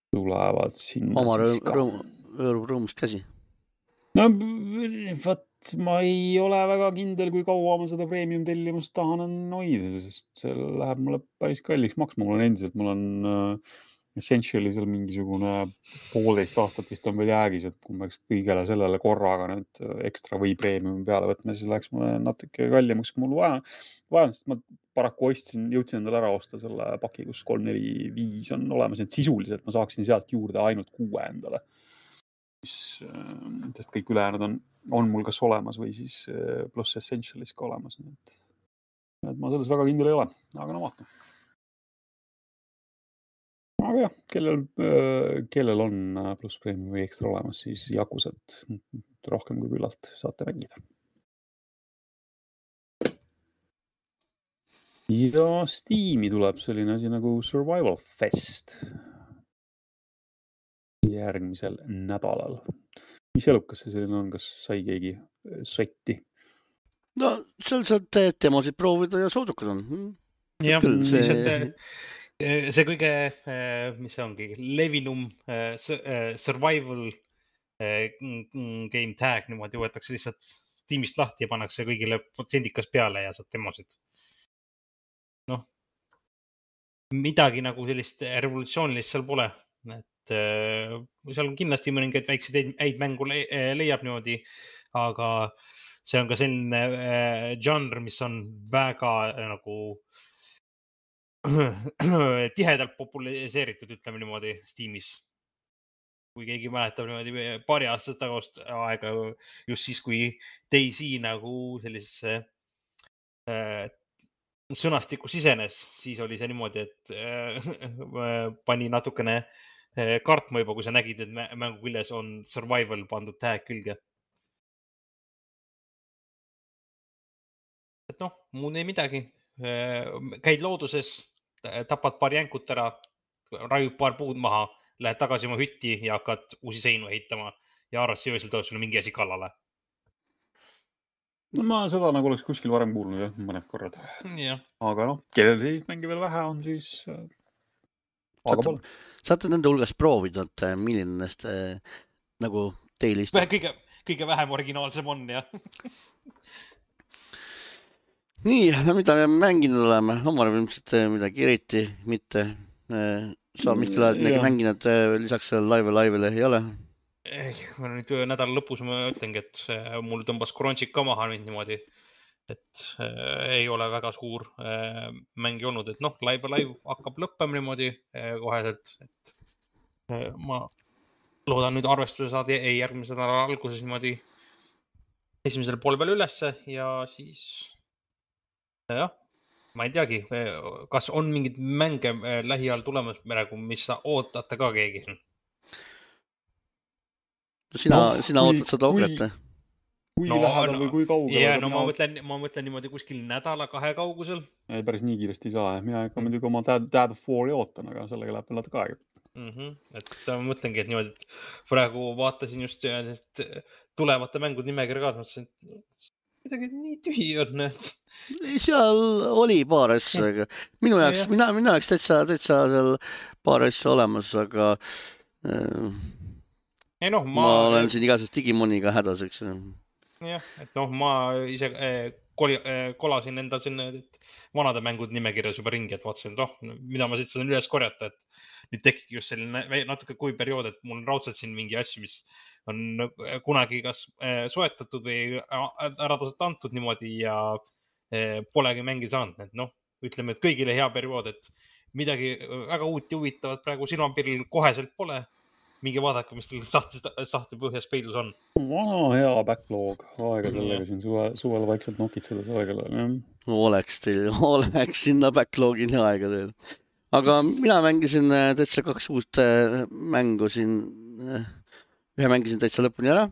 Tulevad sinna oma siis ka. Oma rõõm, rõõmust käsi. No vaat, ma ei ole väga kindel, kui kaua ma seda premium tellimust tahan hoida, sest see läheb mulle päris kalliks maksma. Mul on endiselt, mul on uh, essentially seal mingisugune poolteist aastat vist on veel jäägis, et kui ma peaks kõigele sellele korraga nüüd ekstra või premium peale võtma, siis läheks mulle natuke kallimaks, kui mul vaja. vaja, sest ma paraku ostsin, jõudsin endale ära osta selle paki, kus kolm neli viis on olemas, et sisuliselt ma saaksin sealt juurde ainult kuue endale. Sest kõik ülejäänud on, on mul kas olemas või siis pluss Essentialis ka olemas. Et, et ma selles väga kindel ei ole, aga no vaata. Aga jah, kellel, kellel on pluss premium või ekstra olemas, siis Yakuzat rohkem kui küllalt saate mängida. Ja Steam'i tuleb selline asi nagu Survival Fest järgmisel nädalal. Mis elukas see selline on? Kas sai keegi sotti? No, seal saad demosid proovida ja soodukad on. Jah, see... see, see kõige, mis see ongi, levinum survival game tag niimoodi võetakse lihtsalt Steamist lahti ja pannakse kõigile protsendikas peale ja saad demosid. Noh, midagi nagu sellist revolutsioonilist seal pole. Et seal on kindlasti mõningaid väikseid häid mängu leiab niimoodi, aga see on ka selline äh, žanr, mis on väga äh, nagu tihedalt populariseeritud, ütleme niimoodi, Steamis. Kui keegi mäletab niimoodi paari aastast tagast aega, just siis, kui Daisy nagu sellisesse äh, sõnastikku sisenes, siis oli see niimoodi, et äh, pani natukene äh, kartma juba, kui sa nägid, et mängu küljes on survival pandud tag külge. Et noh, muud ei midagi. Käid looduses, tapad paar jänkut ära, raiud paar puud maha, lähed tagasi oma hütti ja hakkad uusi seinu ehitama ja arvad see öösel tõus sulle mingi asi kallale. No ma seda nagu oleks kuskil varem kuulnud jah, mõned korrad. Ja. Aga noh, kellel sellist mängi veel vähe on, siis aga pole. Saate nende hulgas proovinud, milline nendest äh, nagu teil istub? Kõige, kõige vähem originaalsem on, jah. Nii, mida me mänginud oleme? Omar ilmselt midagi eriti, mitte sa mitte oled midagi mänginud lisaks live live'ile ei ole? Eh, ma nüüd nädala lõpus ma ütlengi, et mul tõmbas Crunchyk ka maha nüüd niimoodi, et äh, ei ole väga suur äh, mängi olnud, et noh, live live hakkab lõppema niimoodi äh, koheselt, et äh, ma loodan nüüd arvestuse saada ei järgmise nädala alguses niimoodi esimesel poole peal ülesse ja siis jah, ma ei teagi, kas on mingid mänge lähiajal tulemas praegu, mis sa ootate ka keegi? Sina, no, sina kui, ootad seda ogret? Kui no, lähedal no, või kui kaugel? Ja, no ma mõtlen, ma mõtlen niimoodi kuskil nädala kahe kaugusel. Ei, päris nii kiiresti ei saa. Mina ikka muidugi oma Dab fouri ootan, aga sellega läheb veel natuke aega. Mm-hmm. Et ma mõtlengi, et niimoodi, et praegu vaatasin just et tulevate mängud nimekirja ka, mõtlesin, et midagi nii tühi on. Seal oli paar asja, aga minu jaoks, ja, mina, mina jaoks täitsa, täitsa seal paar asja olemas, aga äh, ei, no, ma... ma olen siin igasest Digimoniga hädaseks. Jah, et noh, ma ise äh, koli, äh, kolasin enda sinna et vanade mängud nimekirjas juba ringi, et vaatasin, et oh, mida ma siit saan üles korjata, et nüüd tekib just selline natuke kui periood, et mul on raudselt siin mingi asju, mis on kunagi kas soetatud või ära tasult antud niimoodi ja polegi mängi saanud. Et noh, ütleme, et kõigile hea periood, et midagi väga uut ja huvitavat praegu silmapiril koheselt pole. Mingi vaadake, mis teil sahti põhjas peidus on. Vana hea backlog. Aega sellega siin suve, suvel vaikselt nokitseda aegale. Oleks teil, oleks sinna backlogini aega teil. Aga mina mängisin täitsa kaks uust mängu siin. Ühe mängisin täitsa lõpuni ära.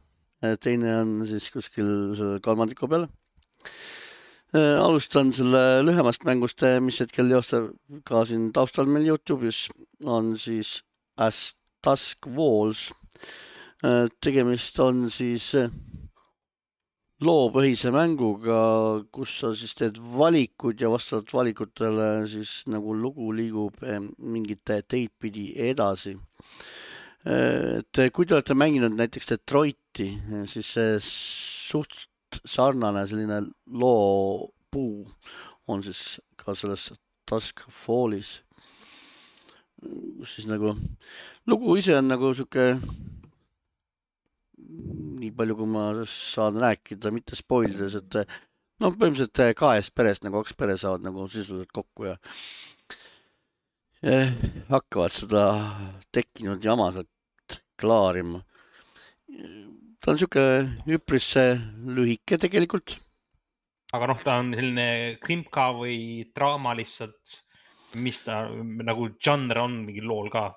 Teine on siis kuskil selle kolmandiku peal. Alustan selle lühemast mängust, mis hetkel joostab ka siin taustal meil YouTube'is. On siis As Dusk Walls. Tegemist on siis loopõhise mänguga, kus sa siis teed valikud ja vastavalt valikutele siis nagu lugu liigub mingite teid pidi edasi. Et kui te olete mänginud näiteks Detroiti, siis see suht sarnane selline loopuu on siis ka selles Dusk Fallis. Siis nagu lugu ise on nagu siuke nii palju, kui ma saan rääkida, mitte spoilides, et no põhimõtteliselt kahest perest nagu kaks pere saavad nagu sisuliselt kokku ja eh, hakkavad seda tekkinud jama sealt klaarima. Ta on siuke üpris lühike tegelikult. Aga noh, ta on selline krimpka või draama lihtsalt, mis ta nagu žanr on mingi lool ka?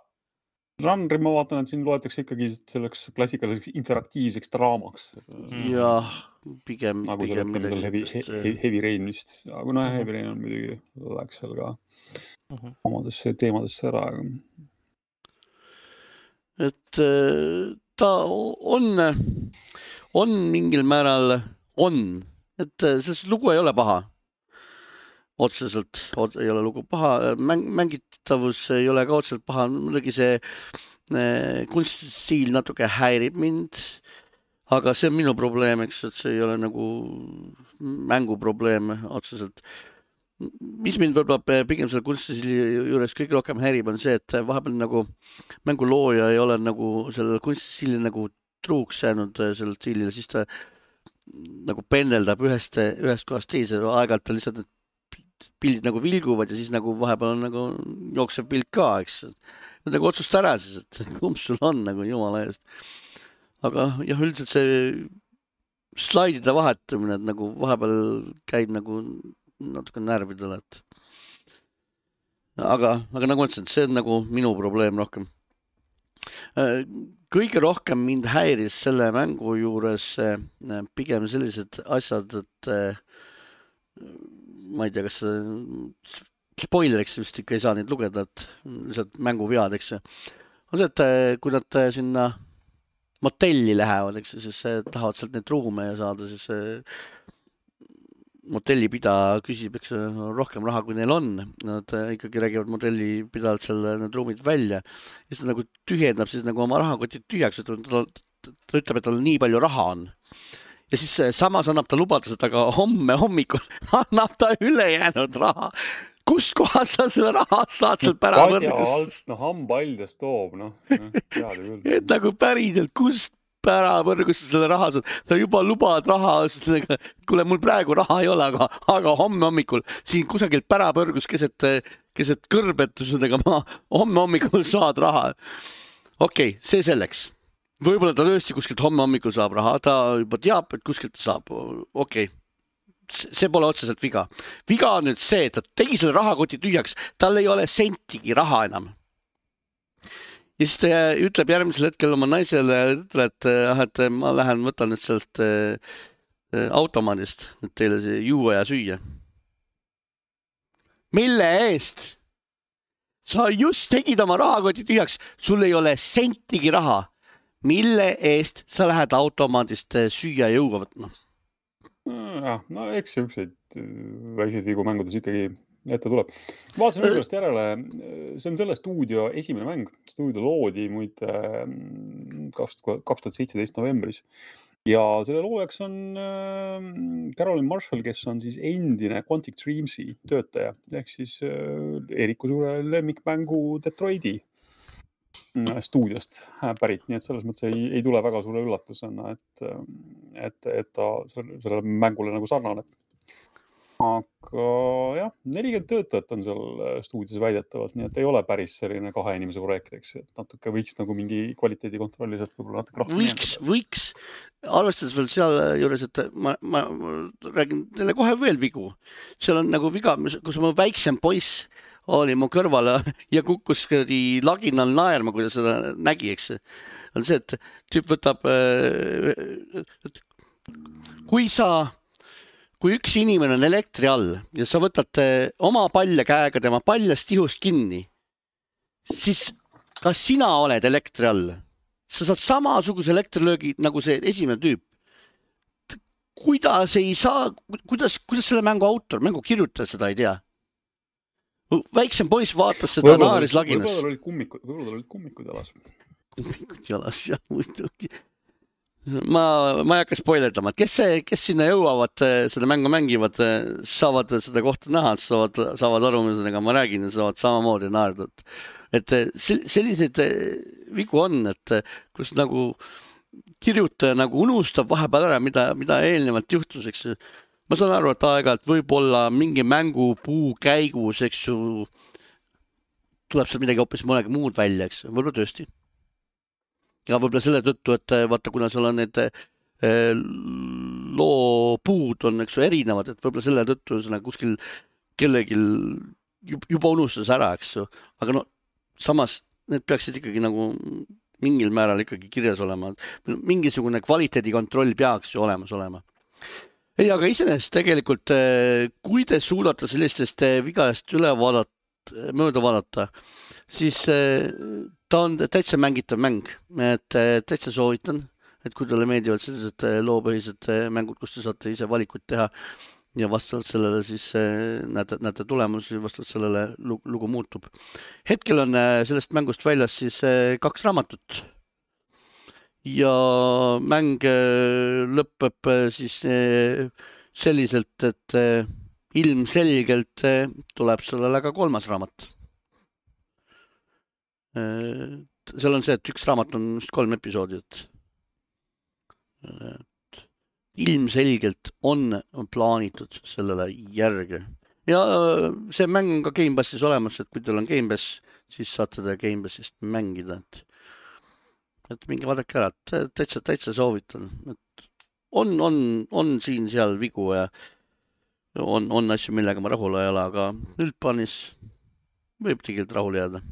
Žanri ma vaatan, et siin loetakse ikkagi selleks klassikaliseks interaktiivseks draamaks. Jah, pigem, nagu pigem midagi. Heavy, heavy, heavy Rain vist. Aga no Heavy Rain on midagi, läks seal ka uh-huh. omadesse teemadesse ära. Et ta on, on mingil määral on, et see lugu ei ole paha. Otseselt ei ole lugu paha, Mäng, mängitavus ei ole ka otseselt paha, muidugi see eh, kunstistiil natuke häirib mind, aga see on minu probleem, eks, et see ei ole nagu mänguprobleem otseselt. Mis mind võib-olla pigem selle kunstistiili juures kõige rohkem häirib on see, et vahepeal nagu mängulooja ei ole nagu sellele kunstistiili nagu truuks jäänud sellele stiilile, siis ta nagu pendeldab ühest, ühest kohast teise, aeg-ajalt ta lihtsalt need pildid nagu vilguvad ja siis nagu vahepeal on nagu jooksev pilt ka, eks. Nagu otsusta ära siis, et kumb sul on nagu jumala eest. Aga jah, üldiselt see slaidide vahetamine, et nagu vahepeal käib nagu natuke närvidele, et aga, aga nagu ütlesin, see on nagu minu probleem rohkem. Kõige rohkem mind häiris selle mängu juures pigem sellised asjad, et ma ei tea, kas spoileriks vist ikka ei saa neid lugeda, et lihtsalt mänguvead, eks see. On see, et kui nad sinna motelli lähevad, eks, siis tahavad sealt neid ruume ja saada, siis motellipidaja küsib, eks rohkem raha, kui neil on. Nad ikkagi räägivad motellipidajalt selle need ruumid välja. Ja siis ta nagu tühjendab siis nagu oma rahakotid tühjaks, et ta, ta ütleb, et tal nii palju raha on. Ja siis samas annab ta lubada seda, aga homme hommikul annab ta ülejäänud raha. Kust kohas sa selle raha saad seal pärapõrgus? No hambaldest toob, noh. Teada küll. Et nagu päriselt, kust pärapõrgus sa selle raha saad? Sa juba lubad raha, kuule, mul praegu raha ei ole, aga, aga homme hommikul siin kusagilt pärapõrgus keset, keset kõrbetusega ma homme hommikul saad raha. Okei, okay, see selleks. Võib-olla ta tõesti kuskilt homme hommikul saab raha, ta juba teab, et kuskilt ta saab. Okei, okay. See pole otseselt viga. Viga on nüüd see, et ta tegi selle rahakoti tühjaks, tal ei ole sentigi raha enam. Ja siis ta ütleb järgmisel hetkel oma naisele, et, et ma lähen võtan nüüd sealt automaadist teile juua ja süüa. Mille eest? Sa just tegid oma rahakoti tühjaks, sul ei ole sentigi raha. Mille eest sa lähed automaadist süüa ja juua võtma? Ja, no eks ükseid väikseid vigu mängudes ikkagi ette tuleb. Vaatasin õigust järele, see on selle stuudio esimene mäng. Stuudio loodi muid kaks tuhat seitseteist novembris. Ja selle loojaks on Caroline Marshall, kes on siis endine Quantic Dreamsi töötaja. Ehk siis Eeriku suure lemmikmängu Detroiti stuudiost pärit, nii et selles mõttes ei, ei tule väga suure üllatusena, et, et, et ta selle mängule nagu sarnane. Aga jah, nelikümmend töötajat on seal stuudios väidetavalt, nii et ei ole päris selline kahe inimese projektiks, et natuke võiks nagu mingi kvaliteedikontrolli sealt võib-olla natuke rohkem. Võiks, võiks, arvestades veel seal juures, et ma, ma räägin teile kohe veel vigu. Seal on nagu viga, kus ma väiksem poiss oli mu kõrvale ja kukkus laginal naerma, kui ta seda nägi, eks. On see, et tüüp võtab, kui sa, kui üks inimene on elektri all ja sa võtad oma palja käega tema paljast ihust kinni, siis kas sina oled elektri all? Sa saad samasuguse elektrilöögi nagu see esimene tüüp. Kuidas ei saa, kuidas, kuidas selle mängu autor, mängu kirjutaja seda ei tea? Väiksem poiss vaatas seda võibolla, naaris laginas. Võib-olla olid kummikud, võib-olla olid kummikud jalas. Kummikud jalas, jah, muidugi. Ma, ma ei hakka spoilerdama, et kes, see, kes sinna jõuavad, seda mängu mängivad, saavad seda kohta näha, saavad, saavad aru, millega ma räägin ja saavad samamoodi naerda. Et selliseid vigu on, et kus nagu kirjutaja nagu unustab vahepeal ära, mida, mida eelnevalt juhtus, eks. Ma saan aru, et aeg-ajalt võib-olla mingi mängu puu käigus, eks ju, tuleb seal midagi hoopis mõnegi muud välja, eks, võib-olla tõesti. Ja võib-olla selle tõttu, et vaata, kuna seal on need loopuud on, eks ju, erinevad, et võib-olla selle tõttu kuskil kellegil juba unustas ära, eks ju. Aga no, samas need peaksid ikkagi nagu mingil määral ikkagi kirjas olema. Mingisugune kvaliteedikontroll peaks ju olemas olema. Ei, aga iseenesest tegelikult, kui te suudate sellistest vigast üle vaadata, mööda vaadata, siis ta on täitsa mängitav mäng. Et täitsa soovitan, et kui teile meeldivad sellised loopõhised mängud, kus te saate ise valikuid teha ja vastavalt sellele siis näete, näete tulemusi, vastavalt sellele lugu muutub. Hetkel on sellest mängust väljas siis kaks raamatut. Ja mäng lõpeb siis selliselt, et ilmselgelt tuleb sellele ka kolmas raamat. Seal on see, et üks raamat on just kolm episoodi. Et ilmselgelt on plaanitud sellele järge. Ja see mäng on ka Game Passis olemas, et kui teil on Game Pass, siis saate ta Game Passist mängida. Et, et mingi vaadake ära, täitsa, täitsa soovitan. Et on, on, on siin seal vigu ja on, on asju, millega ma rahul ei ole, aga üldplaanis võib tegelikult rahul jääda.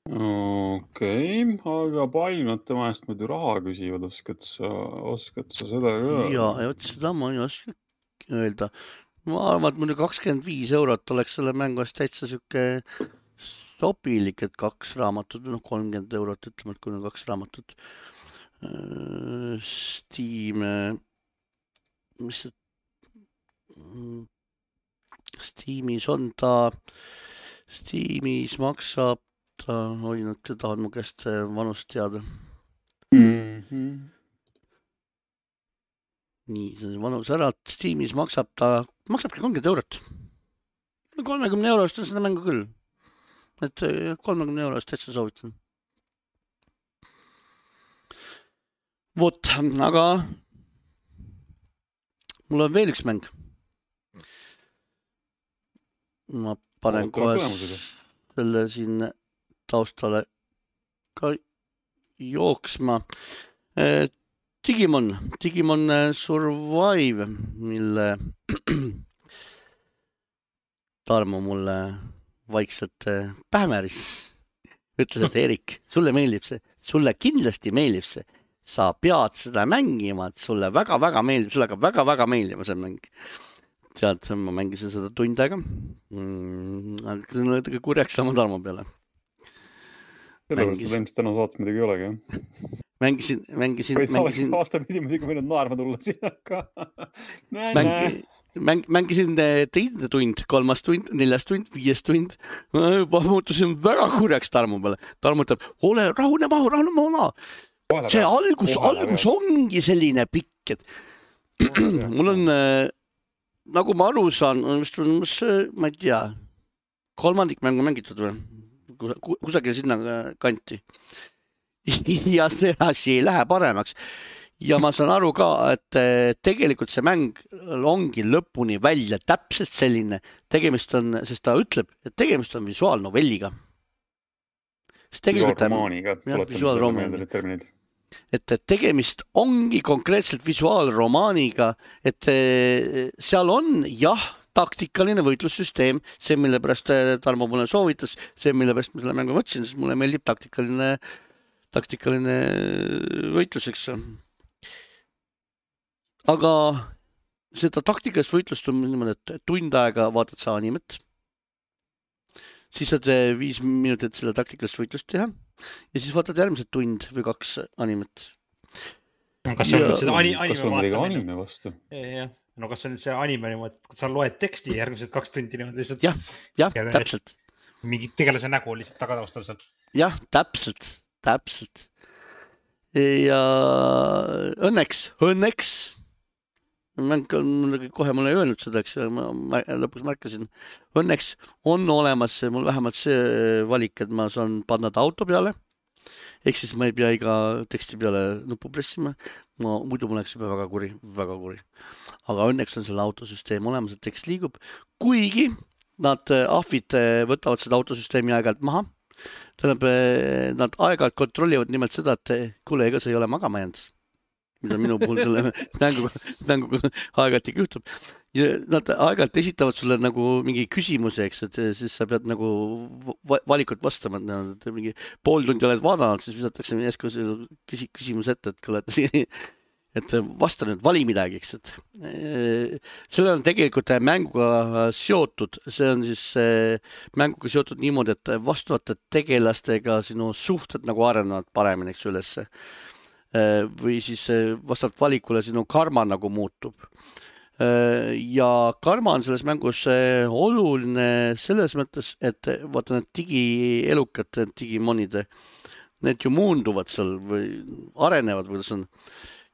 Okei, okay, aga palju nad tema eest muidu raha küsivad, oskad sa, oskad sa seda öelda? Ja, ja seda ma ei oska öelda. Ma arvan, et muidu kakskümmend viis eurot oleks selle mängu eest täitsa süke sobilik, et kaks raamatut, no kolmkümmend eurot, ütleme, et kui on kaks raamatut. Steam, mis see Steamis on ta, Steamis maksab ta, oi, nüüd te tahad mu käest vanust teada. Mm-hmm. Nii, see on vanus ära, Steamis maksab ta, maksabki kolmkümmend eurot. kolmekümne eurost on seda mängu küll. Et kolmekümne eurost täitsa soovitan. Vot, aga mul on veel üks mäng. Ma panen kohe selle siin taustale ka jooksma. Digimon, Digimon Survive, mille Tarmo mulle vaikselt pähmäris. Ütles, et Erik, sulle meeldib see, sulle kindlasti meeldib see. Sa pead seda mängima, et sulle väga-väga meeldib, sulle hakkab väga-väga meeldima see mäng. Tead, ma mängisin seda tund aega. Mm, see on natuke kurjaks sama Tarmo peale. Sellepärast, et ilmselt täna saates midagi ei olegi, jah? Mängisin, mängisin, mängisin... Aasta pidi muidugi võinud naerma tulla siin, aga... Näe, Mängi... näe. Mäng, mängisin teine tund, kolmas tund, neljas tund, viies tund. Ma muutusin väga kurjaks Tarmo peale. Tarmo ütleb, ole rahune mahu, rahune mahu. See algus, algus ongi selline pikk, et mul on, nagu ma aru saan, ma ei tea, kolmandik mängu mängitud või? Kusagil sinna kanti. Ja see asi ei lähe paremaks. Ja ma saan aru ka, et tegelikult see mäng ongi lõpuni välja täpselt selline. Tegemist on, sest ta ütleb, et tegemist on visuaalnovelliga. Visuaalromaaniga. Jah, visuaalromaaniga. Et tegemist ongi konkreetselt visuaalromaaniga, et seal on, jah, taktikaline võitlussüsteem, see, mille pärast Tarmo mulle soovitas, see, mille pärast ma selle mängu võtsin, sest mulle meeldib taktikaline, taktikaline võitluseks. Aga seda taktikalist võitlust on niimoodi, et tund aega vaatad sa animet, siis saad viis minutit selle taktikalist võitlust teha ja siis vaatad järgmised tund või kaks animet. No, kas see on seda anime, kas on midagi anime vastu? Jah. No kas see on see anime niimoodi, et sa loed teksti järgmised kaks tundi niimoodi lihtsalt? Jah, jah, täpselt. Mingi tegelase nägu lihtsalt tagataustal seal. Jah, täpselt, täpselt. Ja õnneks, õnneks, mäng on kohe mulle ei öelnud seda, eks ma lõpuks märkasin, õnneks on olemas mul vähemalt see valik, et ma saan panna ta auto peale, ehk siis ma ei pea iga teksti peale nupu pressima, ma, muidu mul läks juba väga kuri, väga kuri. Aga õnneks on selle autosüsteem olemas, et tekst liigub, kuigi nad ahvid võtavad seda autosüsteemi aeg-ajalt maha. Tähendab, nad aeg-ajalt kontrollivad nimelt seda, et kuule, ega see ei ole magama jäänud, mida minu puhul selle mänguga, mänguga aeg-ajalt ikka juhtub. Ja nad aeg-ajalt esitavad sulle nagu mingi küsimuse, eks, et siis sa pead nagu valikut vastama, et mingi pool tundi oled vaadanud, siis visatakse järsku küsimus ette, et kuule, et vasta nüüd, vali midagi, eks, et selle on tegelikult mänguga seotud, see on siis mänguga seotud niimoodi, et vastavate tegelastega sinu suhted nagu arenevad paremini, eks, ülesse. Või siis vastavalt valikule sinu karma nagu muutub. Ja karma on selles mängus oluline selles mõttes, et vaata need digielukad, digimonide, need ju muunduvad seal või arenevad, või see on.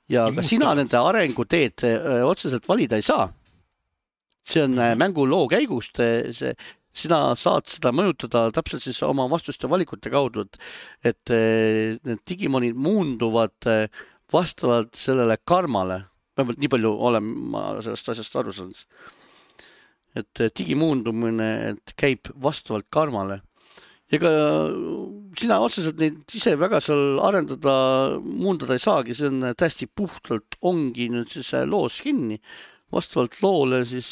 Ja ka sina nende arenguteed otseselt valida ei saa. See on mängu loo käigust, see, sina saad seda mõjutada täpselt siis oma vastuste valikute kaudu, et, et need digimonid muunduvad vastavalt sellele karmale, vähemalt nii palju olen ma sellest asjast aru saanud. Et digimuundumine et käib vastavalt karmale. Ega sina otseselt neid ise väga seal arendada, muundada ei saagi, see on täiesti puhtalt ongi nüüd siis loos kinni. Vastavalt loole siis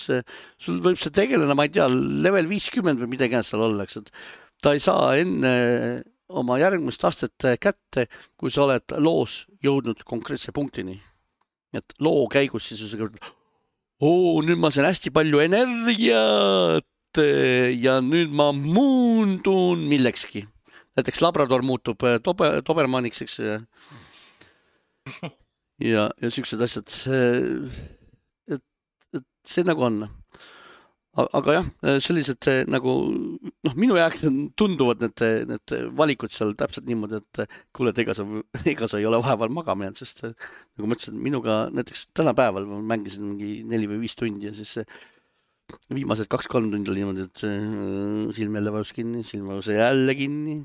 sul võib see tegelena, ma ei tea, level viiskümmend või midagi seal ollaks, et ta ei saa enne oma järgmist astet kätte, kui sa oled loos jõudnud konkreetse punktini. Et loo käigus siis oo, nüüd ma saan hästi palju energiat ja nüüd ma muundun millekski. Näiteks Labrador muutub tobe, Dobermaniks, eks. Ja, ja siuksed asjad. Et, et see nagu on. Aga jah, sellised nagu, noh, minu jaoks tunduvad need, need valikud seal täpselt niimoodi, et kuule, ega sa, ega sa ei ole vaheval magama jäänud, sest nagu ma ütlesin, minuga näiteks täna päeval ma mängisin mingi neli või viis tundi ja siis viimased kaks-kolm tundi oli niimoodi, et silm jälle vajus kinni, silm vajus jälle kinni.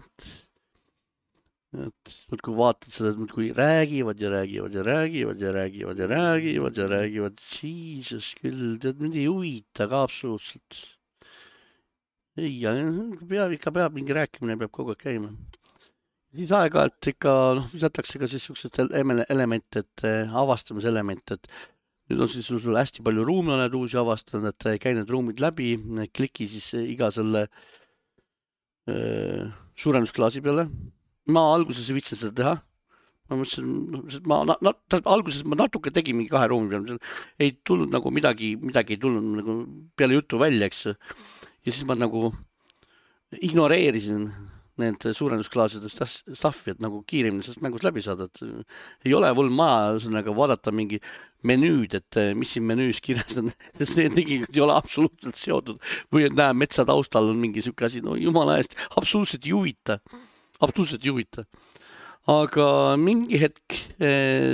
Et nüüd kui vaatad seda, et kui räägivad ja räägivad ja räägivad ja räägivad ja räägivad ja räägivad, Jesus küll, tead, mind ei huvita ka absoluutselt. Ei, peab, ikka peab mingi rääkimine, peab kogu aeg käima. Siis aega, et ikka, noh, visatakse ka siis siuksed elemente, et avastamiselement, et nüüd on siis sul, sul hästi palju ruumi oled uusi avastanud, et käi need ruumid läbi, kliki siis iga selle äh, suurendusklaasi peale. Ma alguses ei viitsin seda teha. Ma mõtlesin, ma, na, na, alguses ma natuke tegin mingi kahe ruumi peale. Ei tulnud nagu midagi, midagi ei tulnud nagu peale jutu välja, eks. Ja siis ma nagu ignoreerisin need suurendusklaaside staffi, et nagu kiiremini sellest mängus läbi saada. Et ei ole vol maja sõnaga vaadata mingi menüüd, et mis siin menüüs kirjas on, sest need tegelikult ei ole absoluutselt seotud. Või et näe, metsa taustal on mingi siuke asi, no jumala eest, absoluutselt ei huvita. Absoluutselt ei huvita. Aga mingi hetk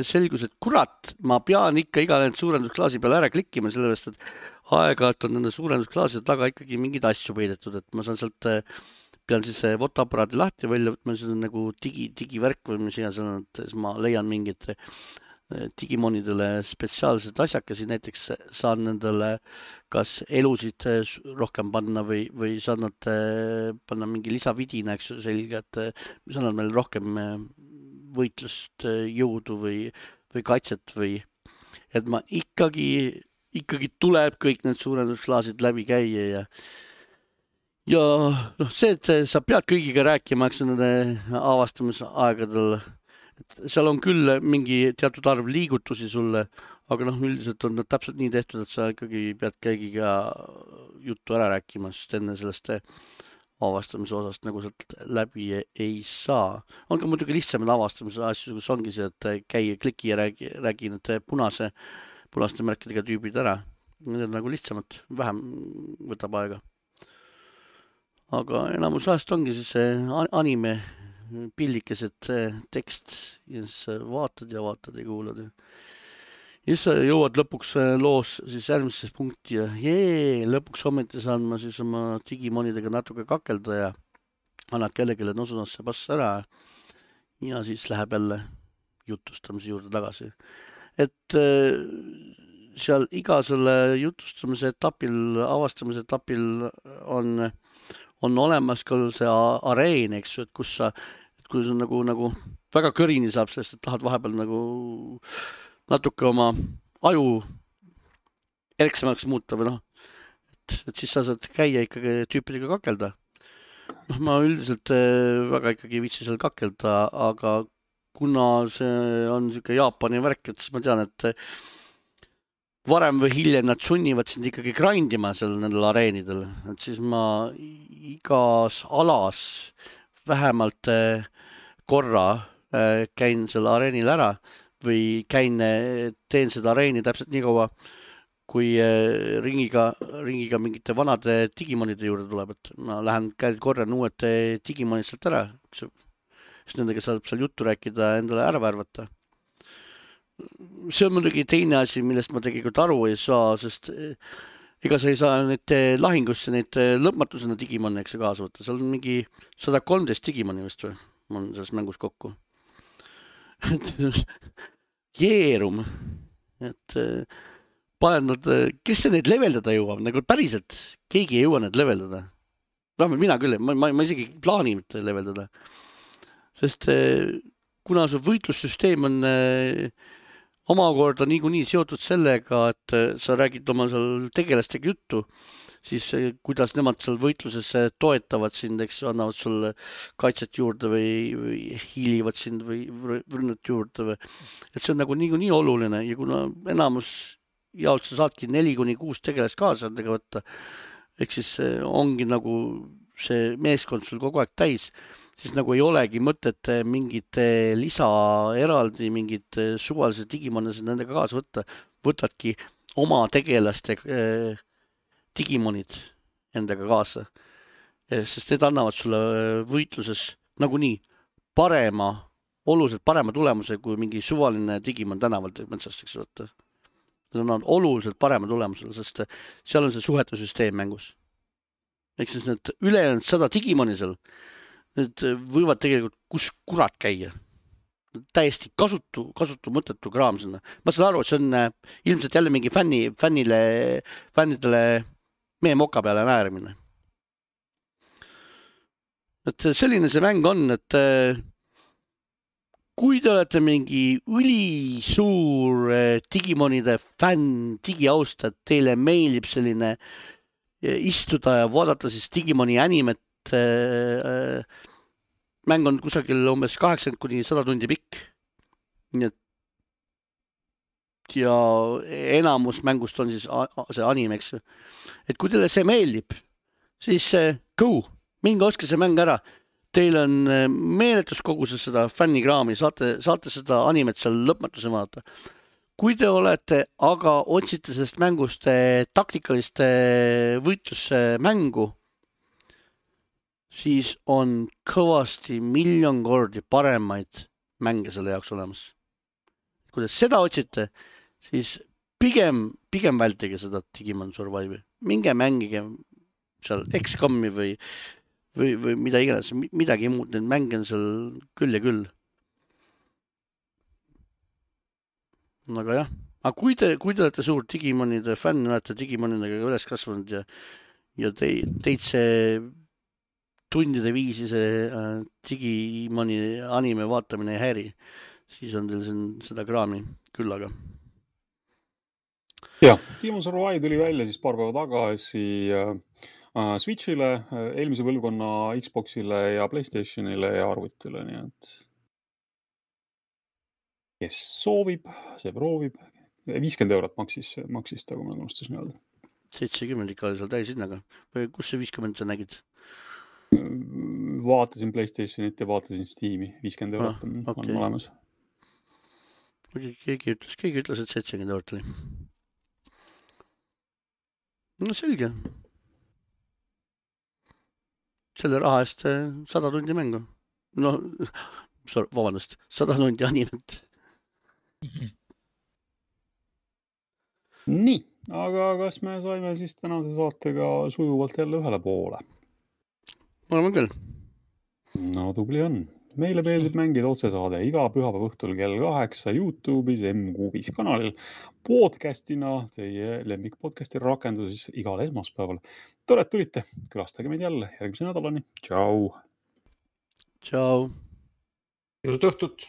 selgus, et kurat, ma pean ikka iga need suurendusklaasi peale ära klikkima, sellepärast, et aeg-ajalt on nende suurendusklaaside taga ikkagi mingid asju peidetud, et ma saan sealt, pean siis fotoaparaadi lahti välja võtma, see on nagu digi, digivärk või mis iganes on, et siis ma leian mingid digimonidele spetsiaalsed asjakesi, näiteks saan nendele kas elusid rohkem panna või, või saan nad panna mingi lisavidina, eks selge, et mis annab meil rohkem võitlust, jõudu või, või kaitset või, et ma ikkagi, ikkagi tuleb kõik need suurendusklaasid läbi käia ja ja noh, see, et sa pead kõigiga rääkima, eks nende avastamisaegadel, et seal on küll mingi teatud arv liigutusi sulle, aga noh, üldiselt on nad täpselt nii tehtud, et sa ikkagi pead kõigiga juttu ära rääkima, sest enne sellest avastamise osast nagu sealt läbi ei saa. On ka muidugi lihtsamad avastamise asju, kus ongi see, et käi kliki ja räägi, räägi need punase, punaste märkidega tüübid ära. Need on nagu lihtsamad, vähem võtab aega. Aga enamus ajast ongi siis see anime pillikesed tekst ja siis vaatad ja vaatad ja kuulad. Ja siis jõuad lõpuks loos siis järgmises punkti ja jee, lõpuks ometi saan ma siis oma digimonidega natuke kakelda ja annad kellelegi nosunasse pass ära ja siis läheb jälle jutustamise juurde tagasi. Et seal iga selle jutustamise etapil, avastamise etapil on on olemas ka see areen, eks ju, et kus sa, et kui sa nagu, nagu väga kõrini saab sellest, et tahad vahepeal nagu natuke oma aju erksemaks muuta või noh, et, et siis sa saad käia ikkagi tüüpidega kakelda. Noh, ma üldiselt väga ikkagi viitsi seal kakelda, aga kuna see on siuke Jaapani värk, et siis ma tean, et varem või hiljem nad sunnivad sind ikkagi grindima seal nendel areenidel, et siis ma igas alas vähemalt korra käin selle areenil ära või käin, teen seda areeni täpselt nii kaua, kui ringiga, ringiga mingite vanade digimonide juurde tuleb, et ma lähen käin korran uued digimonid sealt ära, siis nendega saab seal juttu rääkida, endale ära värvata. See on muidugi teine asi, millest ma tegelikult aru ei saa, sest ega sa ei saa neid lahingusse, neid lõpmatusena digimoni, eks kaasa võtta. Seal on mingi sada kolmteist digimoni vist või? Ma olen selles mängus kokku. Jeerum. et paned nad, kes see neid leveldada jõuab, nagu päriselt keegi ei jõua neid leveldada. Vähemalt mina küll, ma, ma, ma isegi plaani mitte leveldada. Sest kuna see võitlussüsteem on omakorda niikuinii seotud sellega, et sa räägid oma seal tegelastega juttu, siis kuidas nemad seal võitluses toetavad sind, eks annavad sulle kaitset juurde või, või hiilivad sind või rünnet juurde. Või. Et see on nagu niikuinii oluline ja kuna enamus jaolt sa saadki neli kuni kuus tegelast kaasa nendega võtta, ehk siis ongi nagu see meeskond sul kogu aeg täis, siis nagu ei olegi mõtet mingit lisaeraldi, mingit suvalise digimonid nendega kaasa võtta, võtadki oma tegelaste digimonid endaga kaasa, sest need annavad sulle võitluses nagunii parema, oluliselt parema tulemuse kui mingi suvaline digimon tänavalt metsast, eks võtta. Need annavad oluliselt parema tulemusele, sest seal on see suhetusüsteem mängus. Ehk siis need ülejäänud sada digimoni seal, need võivad tegelikult kus kurat käia. Täiesti kasutu, kasutu mõttetu kraam sinna. Ma saan aru, et see on ilmselt jälle mingi fänni, fännile, fännidele meie moka peale määrimine. Et selline see mäng on, et kui te olete mingi ülisuur digimonide fänn, digiaustajad, teile meeldib selline istuda ja vaadata siis digimoni animet, mäng on kusagil umbes kaheksakümmend kuni sada tundi pikk. Nii et ja enamus mängust on siis see anime, eks. Et kui teile see meeldib, siis go, minge ostke see mäng ära. Teil on meeletus koguses seda fännikraami, saate, saate seda animet seal lõpmatuse vaadata. Kui te olete, aga otsite sellest mängust taktikaliste võitlusse mängu, siis on kõvasti miljon kordi paremaid mänge selle jaoks olemas. Kui te seda otsite, siis pigem, pigem vältige seda Digimon Survive'i. Minge mängige seal X COM-i või, või, või mida iganes, midagi muud, need mänge on seal küll ja küll. Aga jah, aga kui te, kui te olete suur Digimonide fänn, olete Digimonidega üles kasvanud ja, ja te, teid see tundide viisi see äh, Digimoni anime vaatamine ei häiri, siis on teil siin seda kraami küll aga. Jah, Digimon Survive tuli välja siis paar päeva tagasi äh, Switchile, eelmise põlvkonna Xboxile ja PlayStationile ja arvutile, nii et kes soovib, see proovib. viiskümmend eurot maksis, maksis ta, kui ma unustasin öelda. seitsekümmend ikka oli seal täishinnaga. Või kus see viiskümmend sa nägid? Vaatasin PlayStationit ja vaatasin Steam'i. viiskümmend eurot on, ah, okay. on olemas. Keegi ütles, keegi ütles, et seitsekümmend eurot oli. No selge. Selle raha eest sada tundi mängu. No, vabandust, sada tundi animet. Nii, aga kas me saime siis tänase saatega sujuvalt jälle ühele poole? Ma arvan küll. No tubli on. Meile meeldib mängida otsesaade iga pühapäeva õhtul kell kaheksa YouTube'is M-Kuubis kanalil. Podcastina teie lemmik podcasti rakenduses igal esmaspäeval. Tore, et tulite. Külastage meid jälle järgmise nädalani. Tšau! Tšau! Ilusat õhtut!